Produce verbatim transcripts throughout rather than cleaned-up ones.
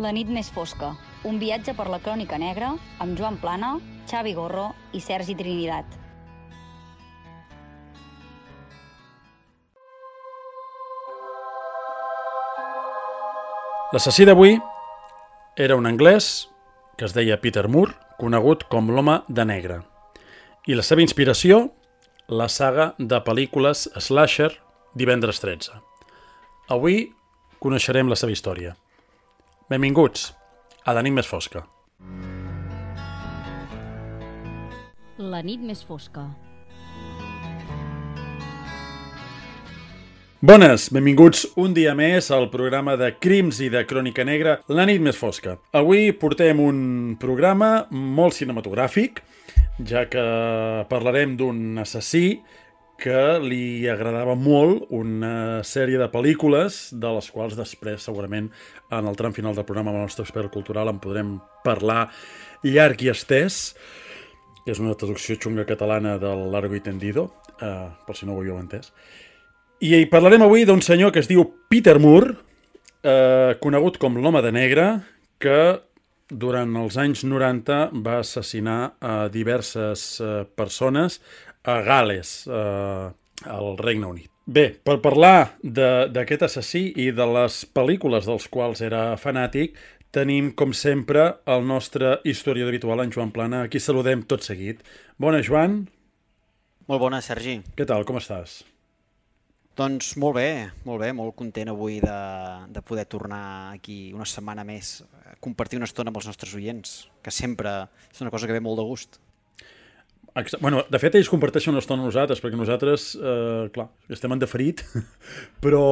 La nit més fosca, un viatge per la crònica negra amb Joan Plana, Xavi Gorro i Sergi Trinidad. L'assassí d'avui era un anglès que es deia Peter Moore, conegut com l'Home de Negre. I la seva inspiració, la saga de pel·lícules slasher Divendres tretze. Avui coneixerem la seva història. Benvinguts a La nit més fosca. La nit més fosca. Bones, benvinguts un dia més al programa de crims i de crònica negra, La nit més fosca. Avui portem un programa molt cinematogràfic, ja que parlarem d'un assassí que li agradava molt una sèrie de pel·lícules, de les quals després, segurament, en el tram final del programa amb el nostre expert cultural en podrem parlar llarg i estès. És una traducció xunga catalana del Largo y Tendido, eh, per si no ho havíeu entès. I hi parlarem avui d'un senyor que es diu Peter Moore, eh, conegut com l'Home de Negre, que durant els anys noranta va assassinar a diverses eh, persones a Gal·les, eh, al Regne Unit. Bé, per parlar d'aquest assassí i de les pel·lícules dels quals era fanàtic, tenim, com sempre, el nostre historiador habitual, en Joan Plana. Aquí saludem tot seguit. Bona, Joan. Molt bona, Sergi. Què tal, com estàs? Doncs molt bé, molt bé, molt content avui de, de poder tornar aquí una setmana més a compartir una estona amb els nostres oients, que sempre és una cosa que ve molt de gust. Bueno, de fet, ells comparteixen una estona amb nosaltres, perquè nosaltres, eh, clar, estem en deferit, però,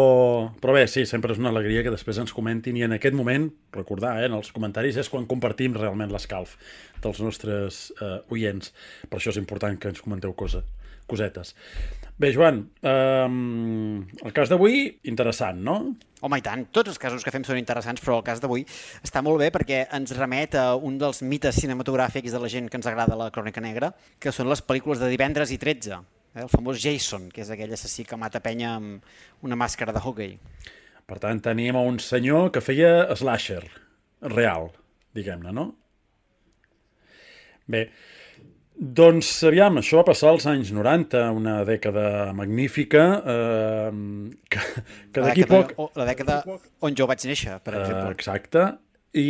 però bé, sí, sempre és una alegria que després ens comentin, i en aquest moment, recordar, eh, en els comentaris és quan compartim realment l'escalf dels nostres eh, oients. Per això és important que ens comenteu cosa, cosetes. Bé, Joan, eh, el cas d'avui, interessant, no? Home, i tant, tots els casos que fem són interessants, però el cas d'avui està molt bé perquè ens remet a un dels mites cinematogràfics de la gent que ens agrada la crònica negra, que són les pel·lícules de Divendres i tretze, eh? El famós Jason, que és aquell assassí que mata penya amb una màscara de hockey. Per tant, tenim un senyor que feia slasher, real, diguem-ne, no? Bé, doncs, aviam, això va passar als anys noranta, una dècada magnífica, eh, que, que d'aquí poc... La dècada on jo vaig néixer, per exemple. Eh, exacte, i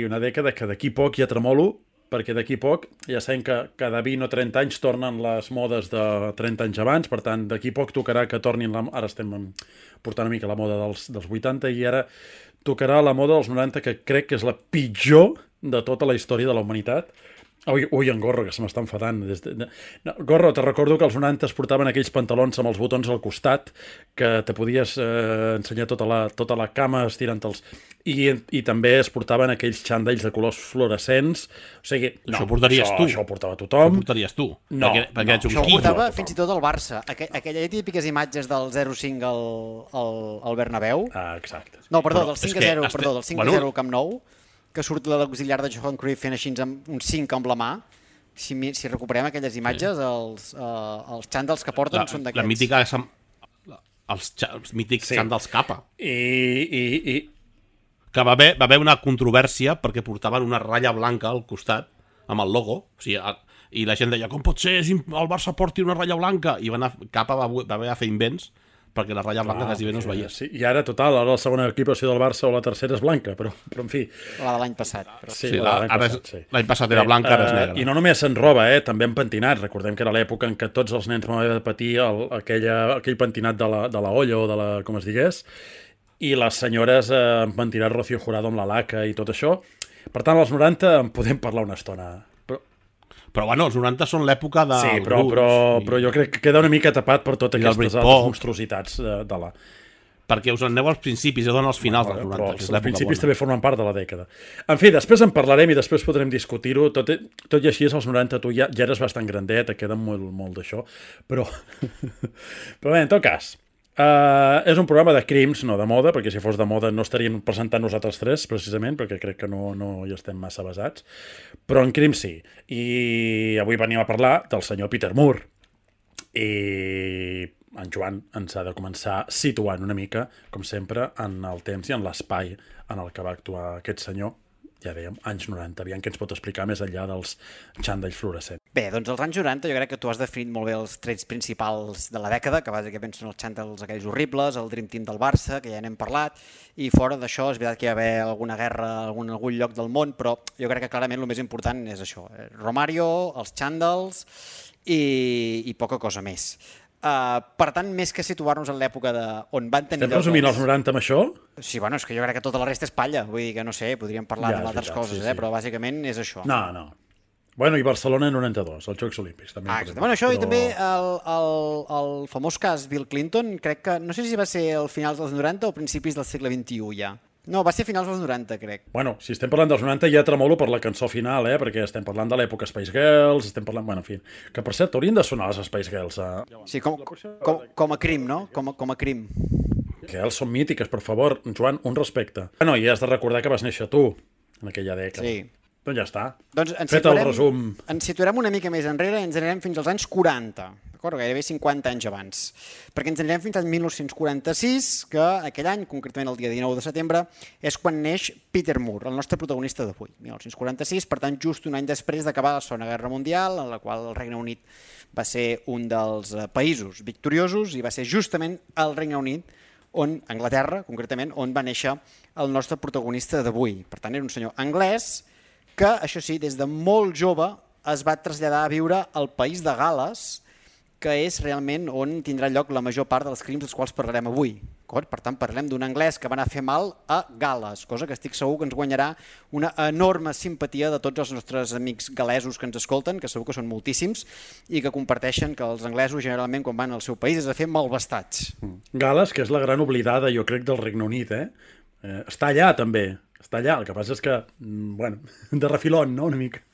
una dècada que d'aquí poc ja tremolo, perquè d'aquí poc ja sabem que cada vint o trenta anys tornen les modes de trenta anys abans, per tant, d'aquí poc tocarà que tornin... La... Ara estem portant una mica la moda dels, dels vuitanta, i ara tocarà la moda dels noranta, que crec que és la pitjor de tota la història de la humanitat. Ui, ui, en Gorro, que se m'està enfadant. Des de... no, Gorro, te recordo que els noranta es portaven aquells pantalons amb els botons al costat, que te podies eh, ensenyar tota la, tota la cama estirant-te'ls. I, I també es portaven aquells xandalls de colors fluorescents. O sigui, no, això portaries això, tu. Això ho portava tothom. Això portaries tu. No, perquè, perquè no, ets un això ho quillo. portava fins i tot el Barça. Aqu aquelles típiques imatges del zero cinc al, al, al Bernabéu. Ah, exacte. No, perdó, Però del cinc a és que zero, este- perdó, del cinc a bueno. zero al Camp Nou, que surt l'auxiliar de Johan Cruyff fent així amb un cinc amb la mà. Si, si recuperem aquelles imatges, sí. els, uh, els xàndals que porten La, són d'aquests. la mítica... Els, els mítics Sí. xandals capa. I... i, i... Que va haver, va haver una controvèrsia perquè portaven una ratlla blanca al costat amb el logo. O sigui, a, i la gent deia, com pot ser el Barça porti una ratlla blanca? I va anar, Capa va, va haver de fer invents perquè la ratlla blanca ah, quasi bé no es veia. Sí, i ara, total, ara la segona equipació del Barça o la tercera és blanca, però, però en fi... La de l'any passat. Però... Sí, Sí, la, l'any l'any passat, passat, sí. l'any passat era blanca, ara és negra. I no només en roba, eh, també en pentinat. Recordem que era l'època en què tots els nens van haver de patir el, aquella, aquell pentinat de la, de la olla o de la, com es digués, i les senyores eh, han pentinat Rocío Jurado amb la laca i tot això. Per tant, als noranta en podem parlar una estona. Però, però bueno, els noranta són l'època de... sí, però, però, i... però jo crec que queda una mica tapat per totes aquestes altres monstruositats de, de la... Perquè us en aneu als principis, ja donen als finals dels noranta. Però els, els principis bona. També formen part de la dècada. En fi, després en parlarem i després podrem discutir-ho. Tot, tot i així, als noranta tu ja, ja eres bastant grandet, et queda molt, molt d'això. Però, però bé, en tot cas, uh, és un programa de crims, no de moda, perquè si fos de moda no estaríem presentant nosaltres tres, precisament, perquè crec que no, no hi estem massa basats. Però en crims sí. I avui venim a parlar del senyor Peter Moore. I en Joan ens ha de començar situant una mica, com sempre, en el temps i en l'espai en el que va actuar aquest senyor, ja dèiem, anys noranta. Aviam què ens pot explicar més enllà dels xandalls fluorescents. Bé, doncs als anys noranta jo crec que tu has definit molt bé els trets principals de la dècada, que bàsicament són els xandalls aquells horribles, el Dream Team del Barça, que ja n'hem parlat, i fora d'això és veritat que hi va haver alguna guerra en algun, algun lloc del món, però jo crec que clarament el més important és això, Romario, els xandalls i, i poca cosa més. Uh, per tant, més que situar-nos en l'època de on van tenir... Estem resumint els noranta amb això? Sí, bueno, és que jo crec que tota la resta és palla, vull dir que no sé, podríem parlar Ja, és d'altres veritat, coses, sí, eh? sí. Però bàsicament és això. No, no. Bueno, i Barcelona noranta-dos, els Jocs Olímpics. També Ah, podem exacte. Bueno, dir, això i però- també el, el, el famós cas Bill Clinton, crec que, no sé si va ser al finals dels noranta o principis del segle vint-i-u ja. No, va ser a finals dels noranta, crec. Bueno, si estem parlant dels noranta ja tremolo per la cançó final, eh? Perquè estem parlant de l'època Spice Girls, estem parlant... Bueno, en fi, que per cert, haurien de sonar les Spice Girls. Eh? Sí, com, com, com a crim, no? Com a, com a crim. Girls són mítiques, per favor. Joan, un respecte. Bueno, i has de recordar que vas néixer tu en aquella dècada. Sí. Doncs ja està. Doncs ens Fet el situarem, resum. ens situarem una mica més enrere i ens anirem fins als anys quaranta, d'acord? Gairebé cinquanta anys abans. Perquè ens anirem fins al mil nou-cents quaranta-sis, que aquell any, concretament el dia dinou de setembre, és quan neix Peter Moore, el nostre protagonista d'avui. mil nou-cents quaranta-sis, per tant, just un any després d'acabar la Segona Guerra Mundial, en la qual el Regne Unit va ser un dels països victoriosos i va ser justament el Regne Unit on, Anglaterra, concretament, on va néixer el nostre protagonista d'avui. Per tant, era un senyor anglès que, això sí, des de molt jove es va traslladar a viure al país de Gal·les, que és realment on tindrà lloc la major part dels crims dels quals parlarem avui. Per tant, parlem d'un anglès que va anar a fer mal a Gal·les, cosa que estic segur que ens guanyarà una enorme simpatia de tots els nostres amics gal·lesos que ens escolten, que segur que són moltíssims, i que comparteixen que els anglesos generalment quan van al seu país és a fer malvestats. Gal·les, que és la gran oblidada, jo crec, del Regne Unit, eh? eh està allà, també. Està allà. El que passa és que, bueno, de refilón, no?, una mica.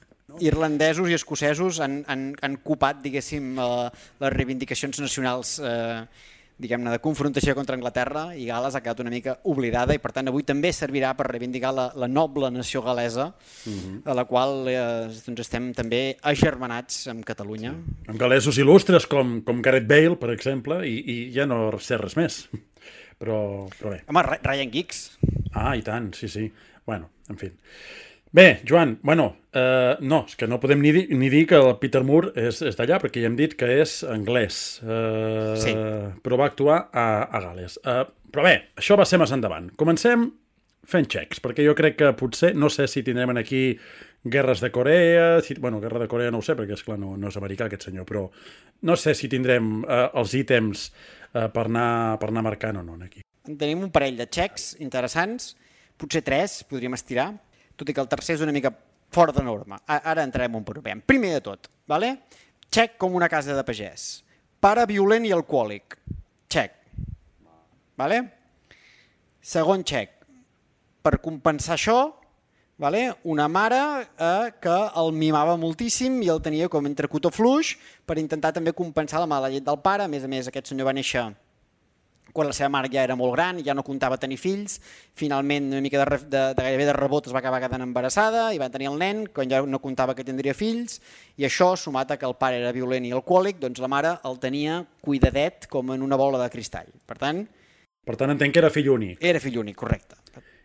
Irlandesos i escocesos han, han, han copat, diguéssim, eh, les reivindicacions nacionals eh, diguem-ne, de confrontació contra Anglaterra, i Gal·les ha quedat una mica oblidada i per tant avui també servirà per reivindicar la, la noble nació gal·lesa, uh-huh. a la qual eh, doncs estem també agermanats amb Catalunya. Sí. Amb gal·lesos il·lustres com, com Gareth Bale, per exemple, i, i ja no sé res més. Però, però bé. Home, Ryan Giggs. Ah, i tant, sí, sí. Bueno, en fi. Bé, Joan, bueno, eh, no, és que no podem ni dir, ni dir que el Peter Moore és, és d'allà, perquè ja hem dit que és anglès, eh, sí. però va actuar a, a Gal·les. Eh, però bé, això va ser més endavant. Comencem fent xecs, perquè jo crec que potser, no sé si tindrem aquí guerres de Corea, si, bueno, guerra de Corea no ho sé, perquè esclar no, no és americà aquest senyor, però no sé si tindrem eh, els ítems eh, per, anar, per anar marcant o no aquí. Tenim un parell de xecs interessants, potser tres, podríem estirar, tot i que el tercer és una mica fora de norma. Ara entrarem un per un. Primer de tot, vale? Xec com una casa de pagès. Pare violent i alcohòlic. Xec. Vale? Segon xec. Per compensar això, vale? Una mare eh, que el mimava moltíssim i el tenia com entre cotó fluix per intentar també compensar la mala llet del pare. A més a més, aquest senyor va néixer quan la seva mare ja era molt gran i ja no comptava tenir fills. Finalment, una mica de, de, de gairebé de rebot es va acabar quedant embarassada i va tenir el nen quan ja no comptava que tindria fills, i això, sumat a que el pare era violent i alcohòlic, doncs la mare el tenia cuidadet com en una bola de cristall. Per tant... Per tant, entenc que era fill únic. Era fill únic, correcte.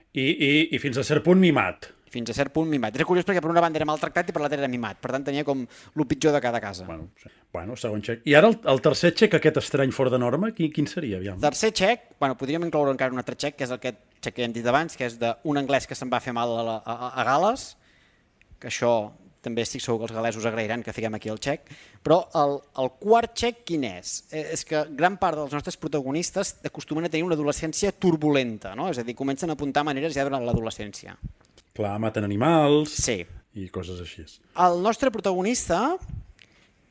I, i, i fins a cert punt mimat. Fins a cert punt mimat. És curiós perquè per una banda era maltractat i per l'altra era mimat. Per tant, tenia com el pitjor de cada casa. Bueno, sí. bueno segon xec. I ara el, el tercer xec, aquest estrany fora de norma, quin, quin seria? Aviam. Tercer xec, bueno, podríem incloure encara un altre xec, que és aquest xec que hem dit abans, que és d'un anglès que se'n va fer mal a, a, a Gal·les, que això també estic segur que els gal·lesos agrairan que fiquem aquí el xec, però el, el quart xec quin és? Eh, és que gran part dels nostres protagonistes acostumen a tenir una adolescència turbulenta, no? És a dir, comencen a apuntar maneres ja durant l'adolescència. Clar, maten animals sí. i coses així. El nostre protagonista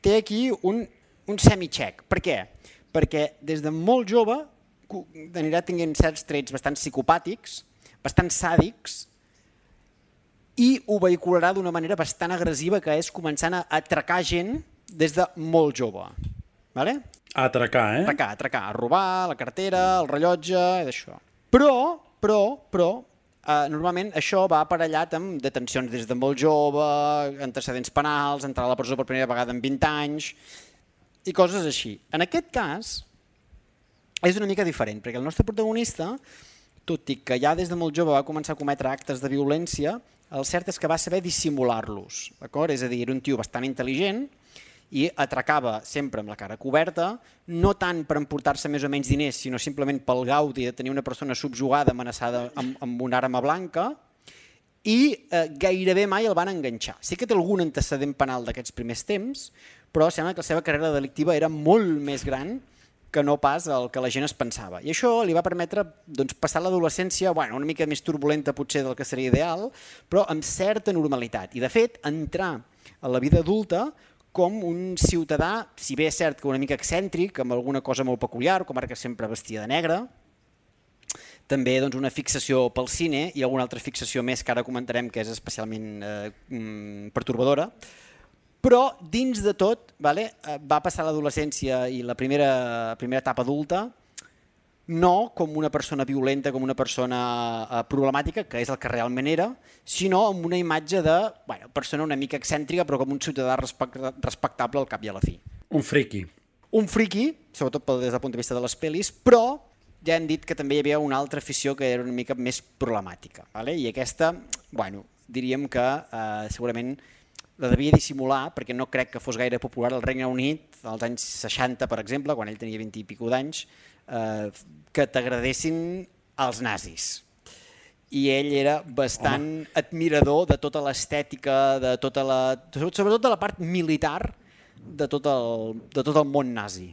té aquí un, un semi-xec. Per què? Perquè des de molt jove anirà tenint certs trets bastant psicopàtics, bastant sàdics, i ho vehicularà d'una manera bastant agressiva, que és començant a atracar gent des de molt jove. Vale? A atracar, eh? Atracar, atracar, a robar la cartera, el rellotge, i d'això. Però, però, però, eh, normalment això va aparellat amb detencions des de molt jove, antecedents penals, entrar a la presó per primera vegada en vint anys, i coses així. En aquest cas, és una mica diferent, perquè el nostre protagonista, tot i que ja des de molt jove va començar a cometre actes de violència, el cert és que va saber dissimular-los, d'acord? És a dir, era un tio bastant intel·ligent i atracava sempre amb la cara coberta, no tant per emportar-se més o menys diners, sinó simplement pel gaudi de tenir una persona subjugada, amenaçada amb, amb una arma blanca, i eh, gairebé mai el van enganxar. Sí que té algun antecedent penal d'aquests primers temps, però sembla que la seva carrera delictiva era molt més gran que no pas el que la gent es pensava. I això li va permetre doncs, passar l'adolescència bueno, una mica més turbulenta potser del que seria ideal, però amb certa normalitat. I de fet, entrar a la vida adulta com un ciutadà, si bé és cert que una mica excèntric, amb alguna cosa molt peculiar, com ara que sempre vestia de negre, també doncs, una fixació pel cine i alguna altra fixació més que ara comentarem que és especialment eh, pertorbadora, però dins de tot vale, va passar l'adolescència i la primera, primera etapa adulta no com una persona violenta, com una persona eh, problemàtica, que és el que realment era, sinó amb una imatge de bueno, persona una mica excèntrica però com un ciutadà respectable al cap i a la fi. Un friqui. Un friqui, sobretot des del punt de vista de les pel·lis, però ja hem dit que també hi havia una altra afició que era una mica més problemàtica. Vale? I aquesta, bueno, diríem que eh, segurament la devia dissimular perquè no crec que fos gaire popular al Regne Unit als anys seixanta, per exemple, quan ell tenia vint i escaig d'anys, eh, que t'agradessin els nazis. I ell era bastant Home. admirador de tota l'estètica, de tota la, sobretot de la part militar de tot el, de tot el món nazi.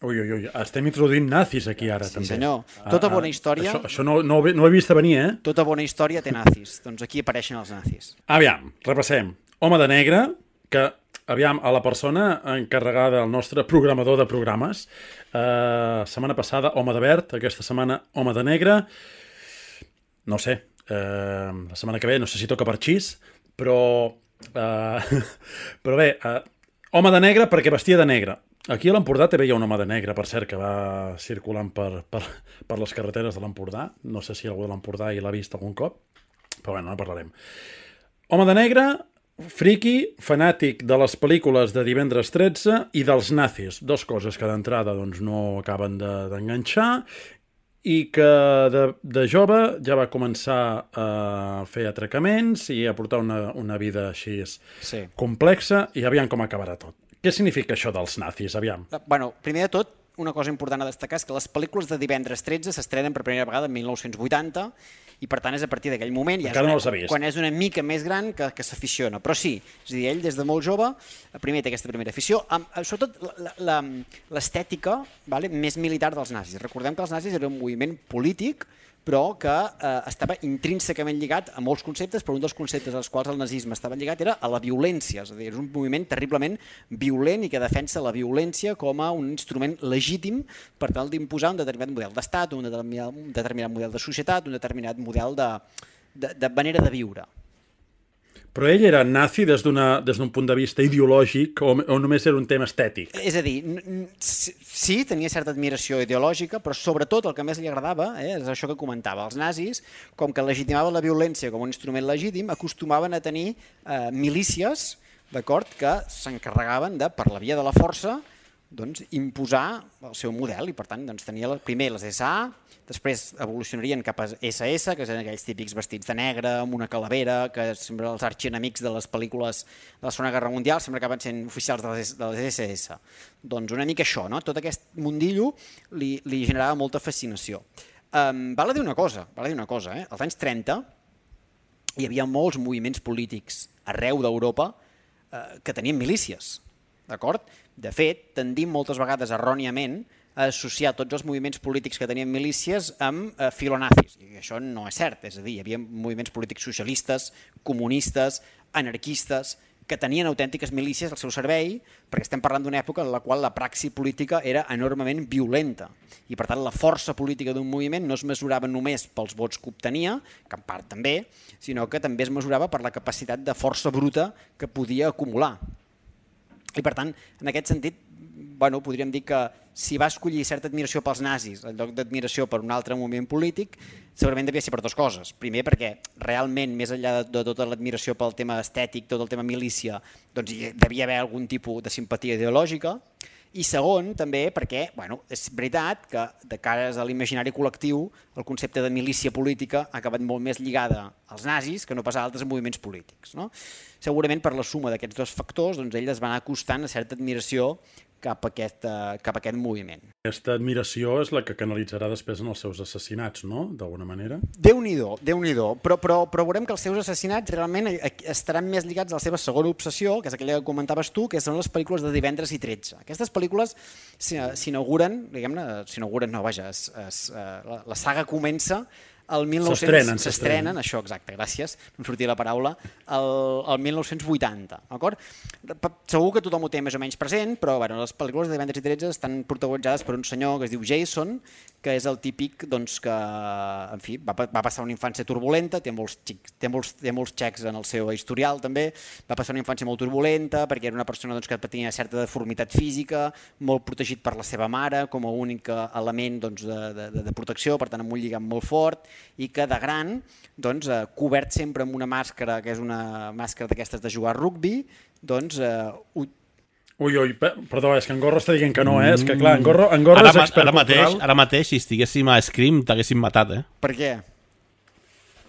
Ui, ui, ui, estem introduint nazis aquí ara, sí, també. Sí, senyor. Tota bona història... Això, això no, no, no ho he vist a venir, eh? Tota bona història té nazis. Doncs aquí apareixen els nazis. Aviam, repassem. Home de negre, que, aviam, a la persona encarregada, el nostre programador de programes, eh, setmana passada, home de verd, aquesta setmana, home de negre, no sé, eh, la setmana que ve, no sé si toca per xis, però, eh, però bé, eh, home de negre perquè vestia de negre. Aquí a l'Empordà també hi ha un home de negre, per cert, que va circulant per, per, per les carreteres de l'Empordà. No sé si algú de l'Empordà hi l'ha vist algun cop, però bueno, no parlarem. Home de negre, friqui, fanàtic de les pel·lícules de Divendres tretze i dels nazis. Dos coses que d'entrada doncs, no acaben d'enganxar i que de, de jove ja va començar a fer atracaments i a portar una, una vida així sí. complexa i aviam com acabarà tot. Què significa això dels nazis, aviam? Bueno, primer de tot, una cosa important a destacar és que les pel·lícules de Divendres tretze s'estrenen per primera vegada en mil nou-cents vuitanta i per tant és a partir d'aquell moment, ja és una, no quan és una mica més gran que, que s'aficiona. Però sí, és a dir, ell des de molt jove, primer té aquesta primera afició, amb, sobretot l'estètica vale, més militar dels nazis. Recordem que els nazis eren un moviment polític però que eh, estava intrínsecament lligat a molts conceptes, però un dels conceptes als quals el nazisme estava lligat era a la violència, és a dir, és un moviment terriblement violent i que defensa la violència com a un instrument legítim per tal d'imposar un determinat model d'estat, un determinat, un determinat model de societat, un determinat model de, de, de manera de viure. Però ell era nazi des d'un punt de vista ideològic o, o només era un tema estètic? És a dir, sí, tenia certa admiració ideològica, però sobretot el que més li agradava eh, és això que comentava. Els nazis, com que legitimaven la violència com un instrument legítim, acostumaven a tenir eh, milícies d'acord que s'encarregaven de, per la via de la força, doncs, imposar el seu model i per tant doncs, tenia la, primer les essa a, després evolucionarien cap a esse esse, que eren aquells típics vestits de negre, amb una calavera, que sempre els arxienemics de les pel·lícules de la Segona Guerra Mundial sempre acaben sent oficials de les, de les esse esse. Doncs una mica això, no? Tot aquest mundillo li, li generava molta fascinació. Um, val a dir una cosa, val a dir una cosa, eh? Als anys trenta hi havia molts moviments polítics arreu d'Europa eh, que tenien milícies, d'acord? De fet, tendim moltes vegades erròniament a associar tots els moviments polítics que tenien milícies amb eh, filonazis. I això no és cert, és a dir, hi havia moviments polítics socialistes, comunistes, anarquistes, que tenien autèntiques milícies al seu servei, perquè estem parlant d'una època en la qual la praxi política era enormement violenta. I per tant la força política d'un moviment no es mesurava només pels vots que obtenia, que en part també, sinó que també es mesurava per la capacitat de força bruta que podia acumular. I per tant, en aquest sentit, bueno, podríem dir que si va escollir certa admiració pels nazis en lloc d'admiració per un altre moviment polític, segurament devia ser per dues coses. Primer, perquè realment, més enllà de, de tota l'admiració pel tema estètic, tot el tema milícia, doncs hi devia haver algun tipus de simpatia ideològica. I segon, també, perquè bueno, és veritat que de cara a l'imaginari col·lectiu el concepte de milícia política ha acabat molt més lligada als nazis que no pas a altres moviments polítics. No? Segurament per la suma d'aquests dos factors doncs, ell es va anar acostant a certa admiració cap a, aquest, uh, cap a aquest moviment. Aquesta admiració és la que canalitzarà després en els seus assassinats, no? D'alguna manera. Déu-n'hi-do, Déu-n'hi-do. Però, però, però veurem que els seus assassinats realment estaran més lligats a la seva segona obsessió, que és aquella que comentaves tu, que són les pel·lícules de Divendres i tretze. Aquestes pel·lícules s'inauguren, diguem-ne, s'inauguren, no, vaja, es, es, la, la saga comença el mil nou-cents... S'estrenen, s'estrenen, això, exacte, gràcies, no em sortia la paraula, el, el mil nou-cents vuitanta, d'acord? Segur que tothom ho té més o menys present, però bueno, les pel·lícules de Divendres i tretze estan protagonitzades per un senyor que es diu Jason, que és el típic doncs, que, en fi, va, va passar una infància turbulenta, té molts, xics, té, molts, té molts xecs en el seu historial també, va passar una infància molt turbulenta perquè era una persona doncs, que tenia certa deformitat física, molt protegit per la seva mare com a únic element doncs, de, de, de protecció, per tant amb un lligam molt fort, i que de gran, doncs, eh, cobert sempre amb una màscara, que és una màscara d'aquestes de jugar a rugbi, doncs... Eh, Ui, ui, perdó, és que en Gorro està dient que no, eh? És que clar, en Gorro, en Gorro ara, és expert ara mateix, cultural. Ara mateix, si estiguéssim a Scream, t'haguéssim matat, eh? Per què?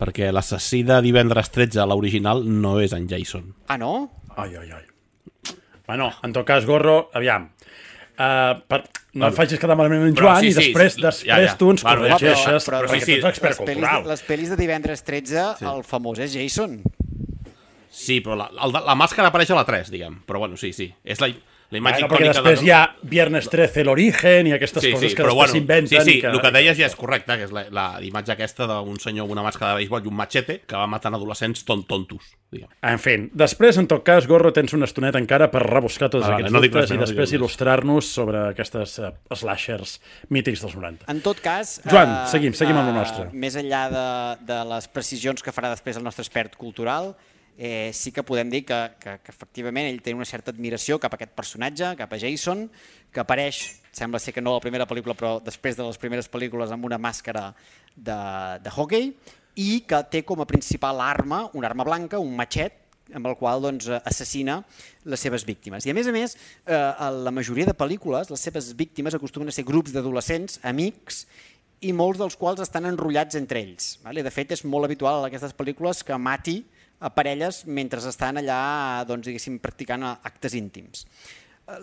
Perquè l'assassí de Divendres tretze, l'original, no és en Jason. Ah, no? Ai, ai, ai. Bueno, en tot cas, Gorro, aviam, Uh, per, no em facis quedar malament en Joan, sí, i després, sí, després ja, ja. tu ens bueno, corregeixes, però, però, perquè sí, tu ets expert les pel·lis, cultural. Les pel·lis de Divendres tretze, sí. El famós és Jason. Sí, però la, la, la màscara apareix a la tres, diguem. Però bueno, sí, sí. És la, la imatge bueno, perquè després de... hi ha Viernes trece, l'origen, i aquestes sí, coses sí, que després bueno, s'inventen. Sí, sí, que... el que deies ja és correcte, que és la, la imatge aquesta d'un senyor amb una màscara de béisbol i un machete que va matant adolescents ton tontos. Diguem. En fi, després, en tot cas, Gorro, tens una estoneta encara per rebuscar tots ah, aquests no dubtes res, i no després no il·lustrar-nos sobre aquestes uh, slashers mítics dels noranta. En tot cas... Joan, uh, seguim, seguim amb el nostre. Uh, més enllà de, de les precisions que farà després el nostre expert cultural, eh, sí que podem dir que, que, que efectivament ell té una certa admiració cap a aquest personatge, cap a Jason, que apareix, sembla ser que no a la primera pel·lícula, però després de les primeres pel·lícules amb una màscara de, de hockey, i que té com a principal arma, una arma blanca, un matxet, amb el qual doncs, assassina les seves víctimes. I a més a més, eh, a la majoria de pel·lícules, les seves víctimes acostumen a ser grups d'adolescents, amics, i molts dels quals estan enrotllats entre ells. Vale? De fet, és molt habitual en aquestes pel·lícules que mati a parelles mentre estan allà doncs, diguéssim, practicant actes íntims.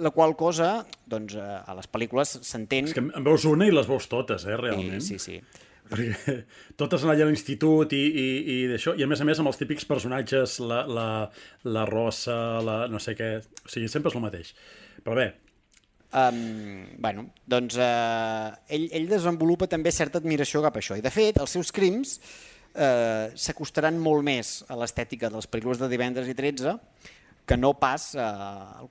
La qual cosa, doncs, a les pel·lícules s'entén... És que en veus una i les veus totes, eh, realment. Sí, sí, sí. Perquè totes anar allà a l'institut i, i, i d'això, i a més a més amb els típics personatges, la, la, la rossa, la no sé què, o sigui, sempre és el mateix. Però bé... Um, bueno, doncs uh, ell, ell desenvolupa també certa admiració cap a això, i de fet els seus crims uh, s'acostaran molt més a l'estètica de les pel·lícules de Divendres i tretze que no pas uh,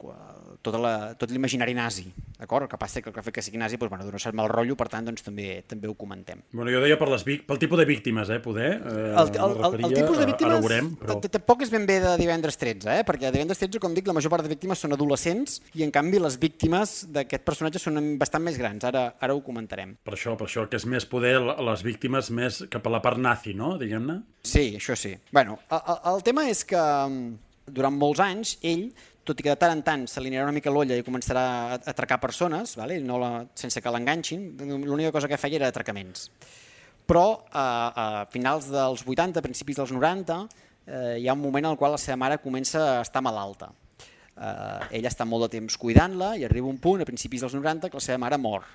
tot, la, tot l'imaginari nazi, d'acord? El que passa és que el que fa que sigui nazi doncs, bueno, dona cert mal rotllo, per tant doncs, també també ho comentem. Bueno, jo deia per les, pel tipus de víctimes, eh, poder. Eh, el, el, el, el tipus de víctimes ara veurem, però... tampoc és ben bé de Divendres tretze, eh? Perquè a Divendres tretze, com dic, la major part de víctimes són adolescents i en canvi les víctimes d'aquest personatge són bastant més grans, ara, ara ho comentarem. Per això, per això, que és més poder les víctimes més cap a la part nazi, no? Diguem-ne. Sí, això sí. Bueno, el, el tema és que durant molts anys, ell, tot i que de tant en tant se li anirà una mica l'olla i començarà a atracar persones, vale? No la, sense que l'enganxin, l'única cosa que feia era atracaments. Però a, a finals dels vuitanta, principis dels noranta, eh, hi ha un moment en el qual la seva mare comença a estar malalta. Eh, ella està molt de temps cuidant-la i arriba un punt, a principis dels noranta, que la seva mare mor.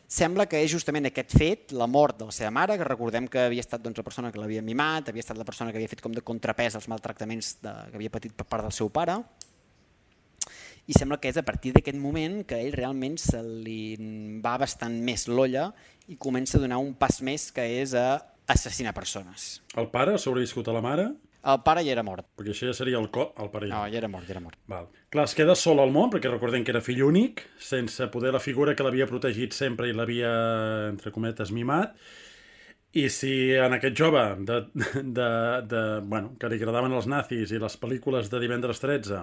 Sembla que és justament aquest fet, la mort de la seva mare, que recordem que havia estat doncs, la persona que l'havia mimat, havia estat la persona que havia fet com de contrapès als maltractaments de, que havia patit per part del seu pare, i sembla que és a partir d'aquest moment que ell realment se li va bastant més l'olla i comença a donar un pas més, que és a assassinar persones. El pare sobreviscut a la mare? El pare ja era mort. Perquè això ja seria el co... El pare ja... No, ja era mort, ja era mort. Val. Clar, es queda sol al món, perquè recordem que era fill únic, sense poder la figura que l'havia protegit sempre i l'havia, entre cometes, mimat. I si en aquest jove de, de, de, bueno, que li agradaven els nazis i les pel·lícules de Divendres tretze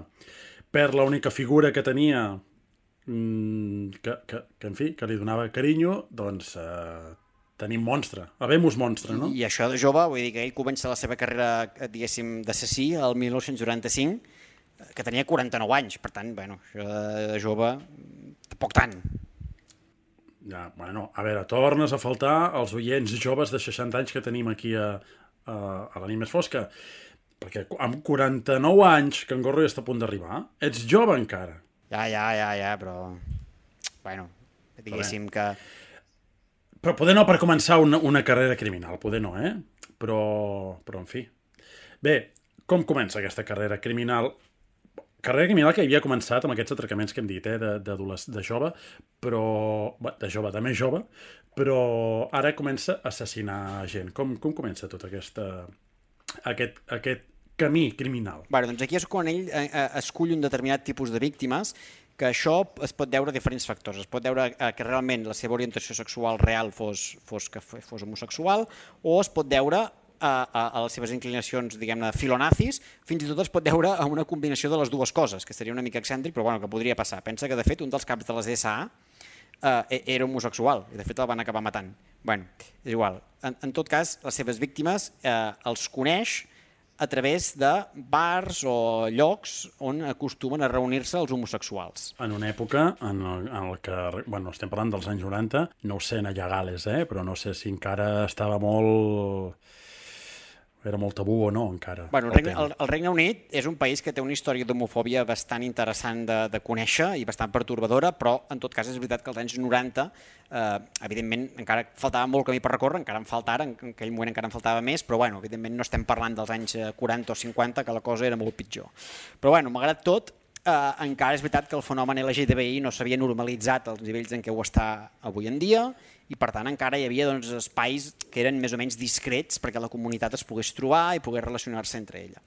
perd l'única figura que tenia mmm, que, que, que, en fi, que li donava carinyo, doncs... Eh, tenim monstre, habemos monstre, no? I això de jove, vull dir que ell comença la seva carrera, diguéssim, d'assassí el mil nou-cents noranta-cinc, que tenia quaranta-nou anys, per tant, bueno, això de jove tampoc tant. Ja, bueno, a veure, tornes a faltar els oients joves de seixanta anys que tenim aquí a, a, a la nit més fosca. Perquè amb quaranta-nou anys, que en Gorro ja està a punt d'arribar, ets jove encara. Ja, ja, ja, ja, però... Bueno, diguéssim que... Però poder no per començar una, una carrera criminal, poder no, eh? Però, però en fi. Bé, com comença aquesta carrera criminal? Carrera criminal que havia començat amb aquests atracaments que hem dit, eh, de, de, de jove, però... de jove, de més jove, però ara comença a assassinar gent. Com, com comença tot aquesta, aquest, aquest camí criminal? Bueno, doncs aquí és quan ell eh, escull un determinat tipus de víctimes, que això es pot deure a diferents factors. Es pot deure a que realment la seva orientació sexual real fos, fos que fos homosexual, o es pot deure A, a, a les seves inclinacions, diguem-ne, filonazis, fins i tot es pot deure a una combinació de les dues coses, que seria una mica excèntric, però bueno, que podria passar. Pensa que, de fet, un dels caps de les S A eh, era homosexual, i de fet el van acabar matant. Bueno, és igual. En, en tot cas, les seves víctimes eh, els coneix a través de bars o llocs on acostumen a reunir-se els homosexuals. En una època en el, en el que, bueno, estem parlant dels anys noranta, no ho sé, a Gales, eh? Però no sé si encara estava molt... Era molt tabú o no, encara. Bueno, el, Regne, el, el Regne Unit és un país que té una història d'homofòbia bastant interessant de, de conèixer i bastant pertorbadora, però en tot cas és veritat que als anys noranta, eh, evidentment, encara faltava molt camí per recórrer, encara en falta ara, en aquell moment encara en faltava més, però bueno, evidentment no estem parlant dels anys quaranta o cinquanta, que la cosa era molt pitjor. Però bueno, malgrat tot, eh, encara és veritat que el fenomen L G T B I no s'havia normalitzat als nivells en què ho està avui en dia, i per tant encara hi havia doncs, espais que eren més o menys discrets perquè la comunitat es pogués trobar i pogués relacionar-se entre ella.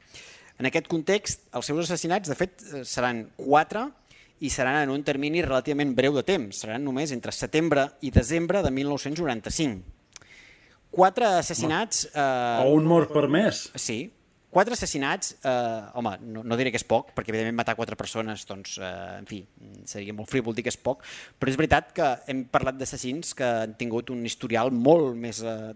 En aquest context, els seus assassinats, de fet, seran quatre i seran en un termini relativament breu de temps, seran només entre setembre i desembre de mil nou-cents noranta-cinc. Quatre assassinats... Eh... O un mort per mes. Sí. Quatre assassinats, eh, home, no, no diré que és poc, perquè evidentment matar quatre persones, doncs, eh, en fi, seria molt frívol dir que és poc, però és veritat que hem parlat d'assassins que han tingut un historial molt més eh,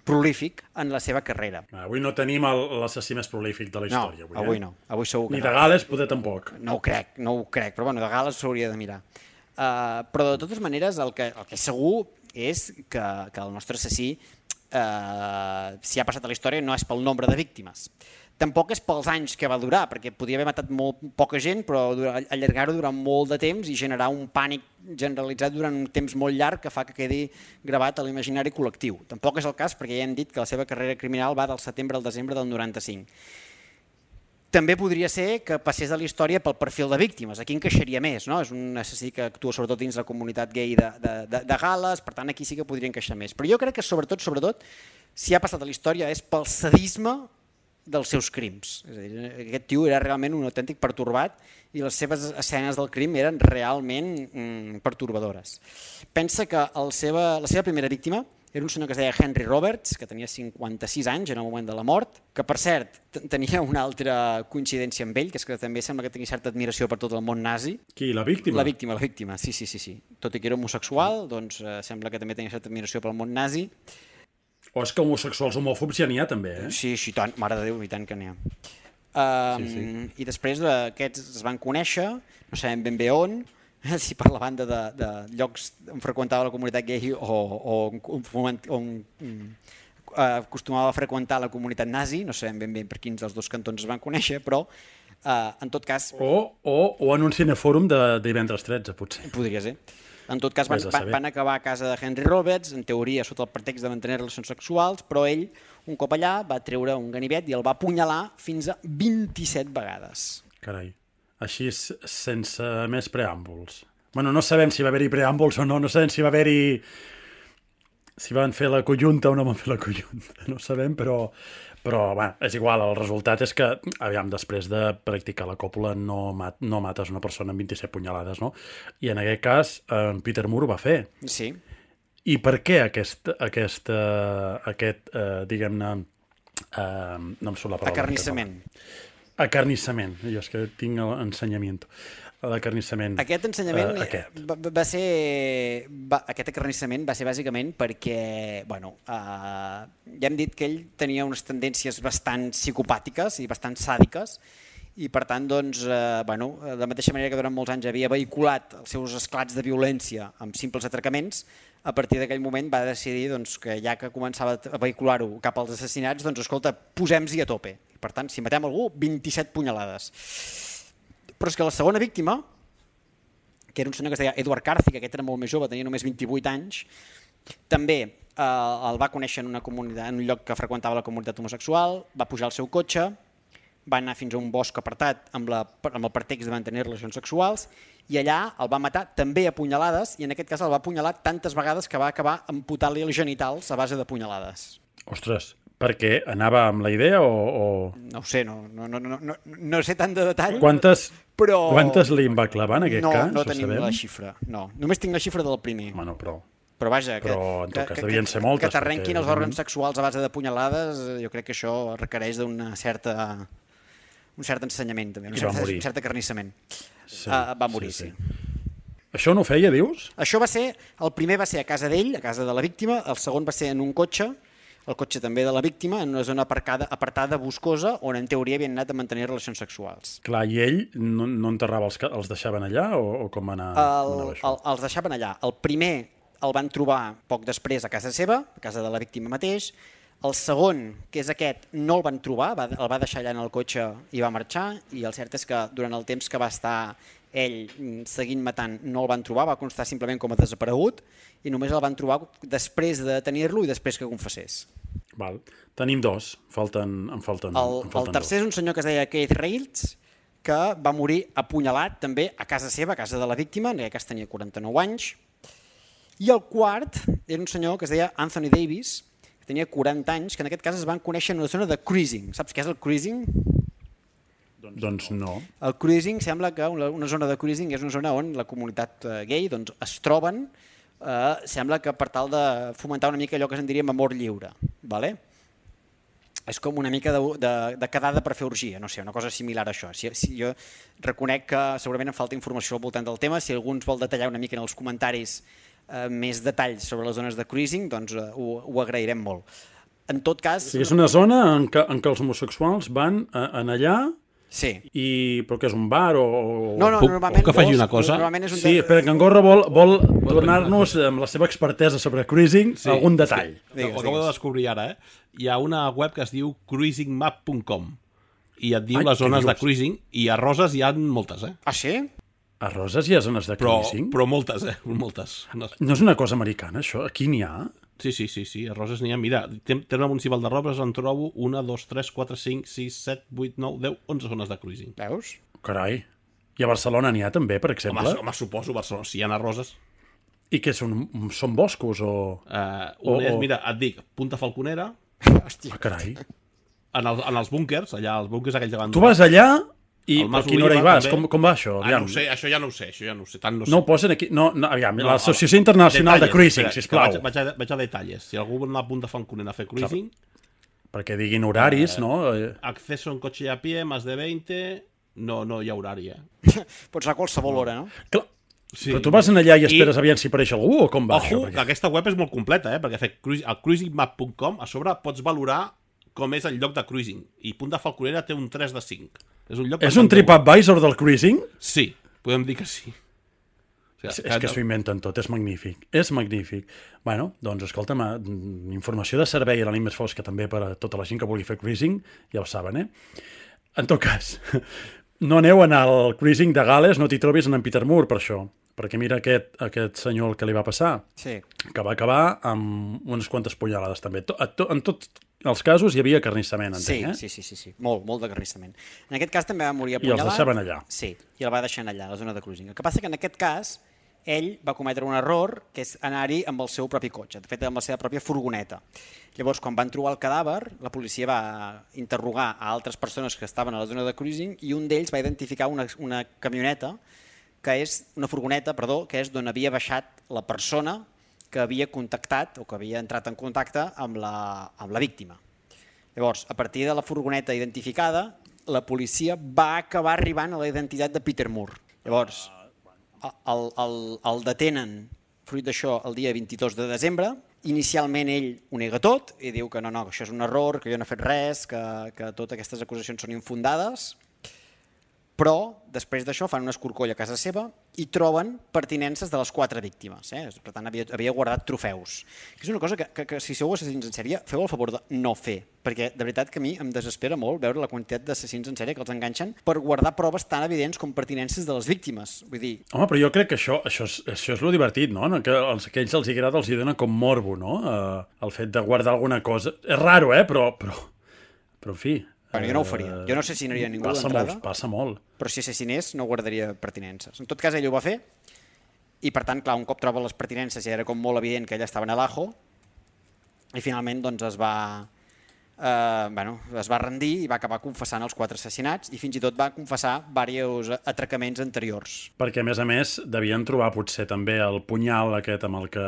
prolífic en la seva carrera. Avui no tenim l'assassí més prolífic de la història. No, avui, avui eh? no, avui segur que Ni no. de Gales, poder tampoc. No ho crec, no ho crec, però bueno, de Gales s'hauria de mirar. Uh, però de totes maneres, el que, el que és segur és que, que el nostre assassí, uh, si ha passat a la història, no és pel nombre de víctimes. Tampoc és pels anys que va durar, perquè podia haver matat molt poca gent, però allargar-ho durant molt de temps i generar un pànic generalitzat durant un temps molt llarg que fa que quedi gravat a l'imaginari col·lectiu. Tampoc és el cas, perquè ja hem dit que la seva carrera criminal va del setembre al desembre del noranta-cinc. També podria ser que passés a la història pel perfil de víctimes. Aquí encaixaria més, no? És un assassí que actua sobretot dins la comunitat gay de, de, de, de Gales, per tant aquí sí que podria encaixar més. Però jo crec que sobretot, sobretot, si ha passat a la història és pel sadisme dels seus crims. És a dir, aquest tio era realment un autèntic pertorbat i les seves escenes del crim eren realment mm, pertorbadores. Pensa que el seva, la seva primera víctima era un senyor que es deia Henry Roberts, que tenia cinquanta-sis anys en el moment de la mort, que per cert tenia una altra coincidència amb ell, que és que també sembla que tenia certa admiració per tot el món nazi. Qui, la víctima? La víctima, la víctima, sí, sí, sí. sí. Tot i que era homosexual, doncs eh, sembla que també tenia certa admiració pel món nazi. O és que homosexuals homòfobs ja n'hi ha també, eh? Sí, sí, tant, mare de Déu, i tant que n'hi ha. Um, sí, sí. I després aquests es van conèixer, no sabem ben bé on, si per la banda de, de llocs on freqüentava la comunitat gay o, o on, on um, acostumava a freqüentar la comunitat nazi, no sabem ben bé per quins dels dos cantons es van conèixer, però uh, en tot cas... O, o, o en un cinefòrum de divendres tretze, potser. Podria ser. En tot cas, van, van, van acabar a casa de Henry Roberts, en teoria sota el pretext de mantenir relacions sexuals, però ell, un cop allà, va treure un ganivet i el va apunyalar fins a vint-i-set vegades. Carai, així sense més preàmbuls. Bueno, no sabem si va haver-hi preàmbuls o no, no sabem si va haver-hi... si van fer la conjunta o no van fer la conjunta, no sabem, però... Però, bueno, és igual, el resultat és que, aviam, després de practicar la còpula no, mat, no mates una persona amb vint-i-set punyalades, no? I en aquest cas, en Peter Moore ho va fer. Sí. I per què aquest, aquest, uh, aquest uh, diguem-ne, uh, no em surt la paraula. Acarnissament. Acarnissament. Jo és que tinc l'ensenyament. L'acarnissament. Aquest ensenyament uh, aquest. Va, va ser... Va, aquest acarnissament va ser bàsicament perquè, bueno, uh, ja hem dit que ell tenia unes tendències bastant psicopàtiques i bastant sàdiques i per tant, doncs, eh, bueno, de la mateixa manera que durant molts anys havia vehiculat els seus esclats de violència amb simples atracaments, a partir d'aquell moment va decidir doncs, que ja que començava a vehicular-ho cap als assassinats, doncs escolta, posem-s'hi a tope. Per tant, si matem algú, vint-i-set punyalades. Però és que la segona víctima, que era un senyor que es deia Edward Carthy, que aquest era molt més jove, tenia només vint-i-vuit anys, també eh, el va conèixer en, una comunitat, en un lloc que freqüentava la comunitat homosexual, va pujar al seu cotxe, va anar fins a un bosc apartat amb, la, amb el pretext de mantenir relacions sexuals i allà el va matar també a punyalades i en aquest cas el va apunyalar tantes vegades que va acabar amputant-li els genitals a base de punyalades. Ostres, per què? Anava amb la idea o...? o... No ho sé, no, no, no, no, no, no sé tant de detall. Quantes, però... quantes li en va clavar en aquest no, cas? No, no tenim la xifra, no. Només tinc la xifra del primer. Bueno, però... Però vaja, que, però, en tot cas, que, devien ser moltes, que t'arrenquin perquè, els òrgans sexuals a base de punyalades, jo crec que això requereix d'una certa... un cert ensenyament també, un cert, un cert acarnissament. Sí, uh, va morir, sí, sí. sí. Això no ho feia, dius? Això va ser, el primer va ser a casa d'ell, a casa de la víctima, el segon va ser en un cotxe, el cotxe també de la víctima, en una zona aparcada, apartada, boscosa, on en teoria havien anat a mantenir relacions sexuals. Clar, i ell no, no enterrava els, els deixaven allà o, o com va anar, el, anava això? El, els deixaven allà. El primer el van trobar poc després a casa seva, a casa de la víctima mateix. El segon, que és aquest, no el van trobar, va, el va deixar allà en el cotxe i va marxar, i el cert és que durant el temps que va estar ell seguint matant no el van trobar, va constar simplement com a desaparegut i només el van trobar després de detenir-lo i després que confessés. Val. Tenim dos, falten, en falten, el, en falten el tercer dos. És un senyor que es deia Keith Reitz, que va morir apunyalat també a casa seva, a casa de la víctima, en aquest cas tenia quaranta-nou anys, i el quart era un senyor que es deia Anthony Davis, tenia quaranta anys, que en aquest cas es van conèixer en una zona de cruising. Saps què és el cruising? Doncs no. El cruising sembla que una, una zona de cruising és una zona on la comunitat gay doncs, es troben, eh, sembla que per tal de fomentar una mica allò que se'n diria amor lliure. Vale? És com una mica de, de, de quedada per fer orgia, no sé, una cosa similar a això. Si, si jo reconec que segurament em falta informació al voltant del tema, si algú ens vol detallar una mica en els comentaris Uh, més detalls sobre les zones de cruising, doncs uh, ho, ho agrairem molt. En tot cas... Sí, és una zona en què, en què els homosexuals van a, en allà, sí. I, però que és un bar o... No, no, puc, normalment... Puc que faci una cosa? És un sí, espera, que en Gorra vol, vol tornar-nos amb la seva expertesa sobre cruising sí, algun detall. Sí. Digues, ho acabo de descobrir ara, eh? Hi ha una web que es diu cruising map punt com i et diu Ai, les zones de cruising i a Roses hi ha moltes, eh? Ah, sí? A Roses hi ha zones de cruising? Però, però moltes, eh? Moltes. No. no és una cosa americana, això? Aquí n'hi ha? Sí, sí, sí, sí, a Roses n'hi ha. Mira, terme municipal de Roses en trobo una, dos, tres, quatre, cinc, sis, set, vuit, nou, deu, onze zones de cruising. Veus? Carai. I a Barcelona n'hi ha també, per exemple? Home, home suposo, Barcelona, si hi ha a Roses. I què són? Són boscos o...? Uh, un o, és, mira, et dic, Punta Falconera. Hòstia. Ah, carai. En, el, en els búnkers, allà, els búnkers aquells de tu vas allà... I a quina hora hi vas? Com, com va això? Ah, no sé, això ja no ho sé, això ja no ho sé, tant no sé. No ho posen aquí? No, no aviam, no, l'Associació Internacional detalles, de Cruising, sisplau. Vaig, vaig, a, vaig a detalles. Si algú vol anar a Punta Falconera a fer cruising... Perquè diguin horaris, eh, no? Acceso en coche y a pie, más de veinte... No, no hi ha horari, eh? Pots anar a qualsevol hora, no? Clar. Sí. Però tu vas allà i esperes I... aviam si apareix algú o com va Ojo, això? Perquè... que aquesta web és molt completa, eh? Perquè fer al cruising map punt com a sobre pots valorar com és el lloc de cruising. I Punta Falconera té un tres de cinc. És un, lloc és un TripAdvisor del cruising? Sí, podem dir que sí. O sigui, és, és que s'ho inventen tot, és magnífic. És magnífic. Bueno, doncs, escolta'm, informació de servei a la nit més fosca també per a tota la gent que vulgui fer cruising, ja ho saben, eh? En tot cas, no aneu a anar al cruising de Gales, no t'hi trobis en Peter Moore per això. Perquè mira aquest, aquest senyor el que li va passar, sí. Que va acabar amb unes quantes punyalades també. To, to, en tots els casos hi havia carnissament, entenc, sí, eh? Sí, sí, sí, sí, molt, molt de carnissament. En aquest cas també va morir apunyalat. I els deixaven allà. Sí, i el va deixar allà, a la zona de cruising. El que passa que en aquest cas ell va cometre un error, que és anar-hi amb el seu propi cotxe, de fet amb la seva pròpia furgoneta. Llavors, quan van trobar el cadàver, la policia va interrogar a altres persones que estaven a la zona de cruising i un d'ells va identificar una, una camioneta que és una furgoneta, perdó, que és d'on havia baixat la persona que havia contactat o que havia entrat en contacte amb la, amb la víctima. Llavors, a partir de la furgoneta identificada, la policia va acabar arribant a la identitat de Peter Moore. Llavors, el, el, el detenen, fruit d'això, el dia vint-i-dos de desembre. Inicialment ell ho nega tot i diu que no, no, que això és un error, que jo no he fet res, que, que totes aquestes acusacions són infundades. Però, després d'això, fan un escorcoll a casa seva i troben pertinences de les quatre víctimes. Eh? Per tant, havia, havia guardat trofeus. És una cosa que, que, que si sou assassins en sèrie, feu el favor de no fer, perquè de veritat que a mi em desespera molt veure la quantitat d'assassins en sèrie que els enganxen per guardar proves tan evidents com pertinences de les víctimes. Vull dir... Home, però jo crec que això, això, és, això és lo divertit, no? Que als que ells els hi agrada els hi dona com morbo, no? Uh, el fet de guardar alguna cosa. És raro, eh? Però, però, però en fi... Bueno, jo no ho faria. Jo no assassinaria ningú d'entrada. Passa molt, Però si assassinés no guardaria pertinences. En tot cas, ell ho va fer i, per tant, clar, un cop troba les pertinences ja era com molt evident que ella estava en l'ajo i finalment doncs es va... Eh, bueno, es va rendir i va acabar confessant els quatre assassinats i fins i tot va confessar diversos atracaments anteriors. Perquè, a més a més, devien trobar potser també el punyal aquest amb el que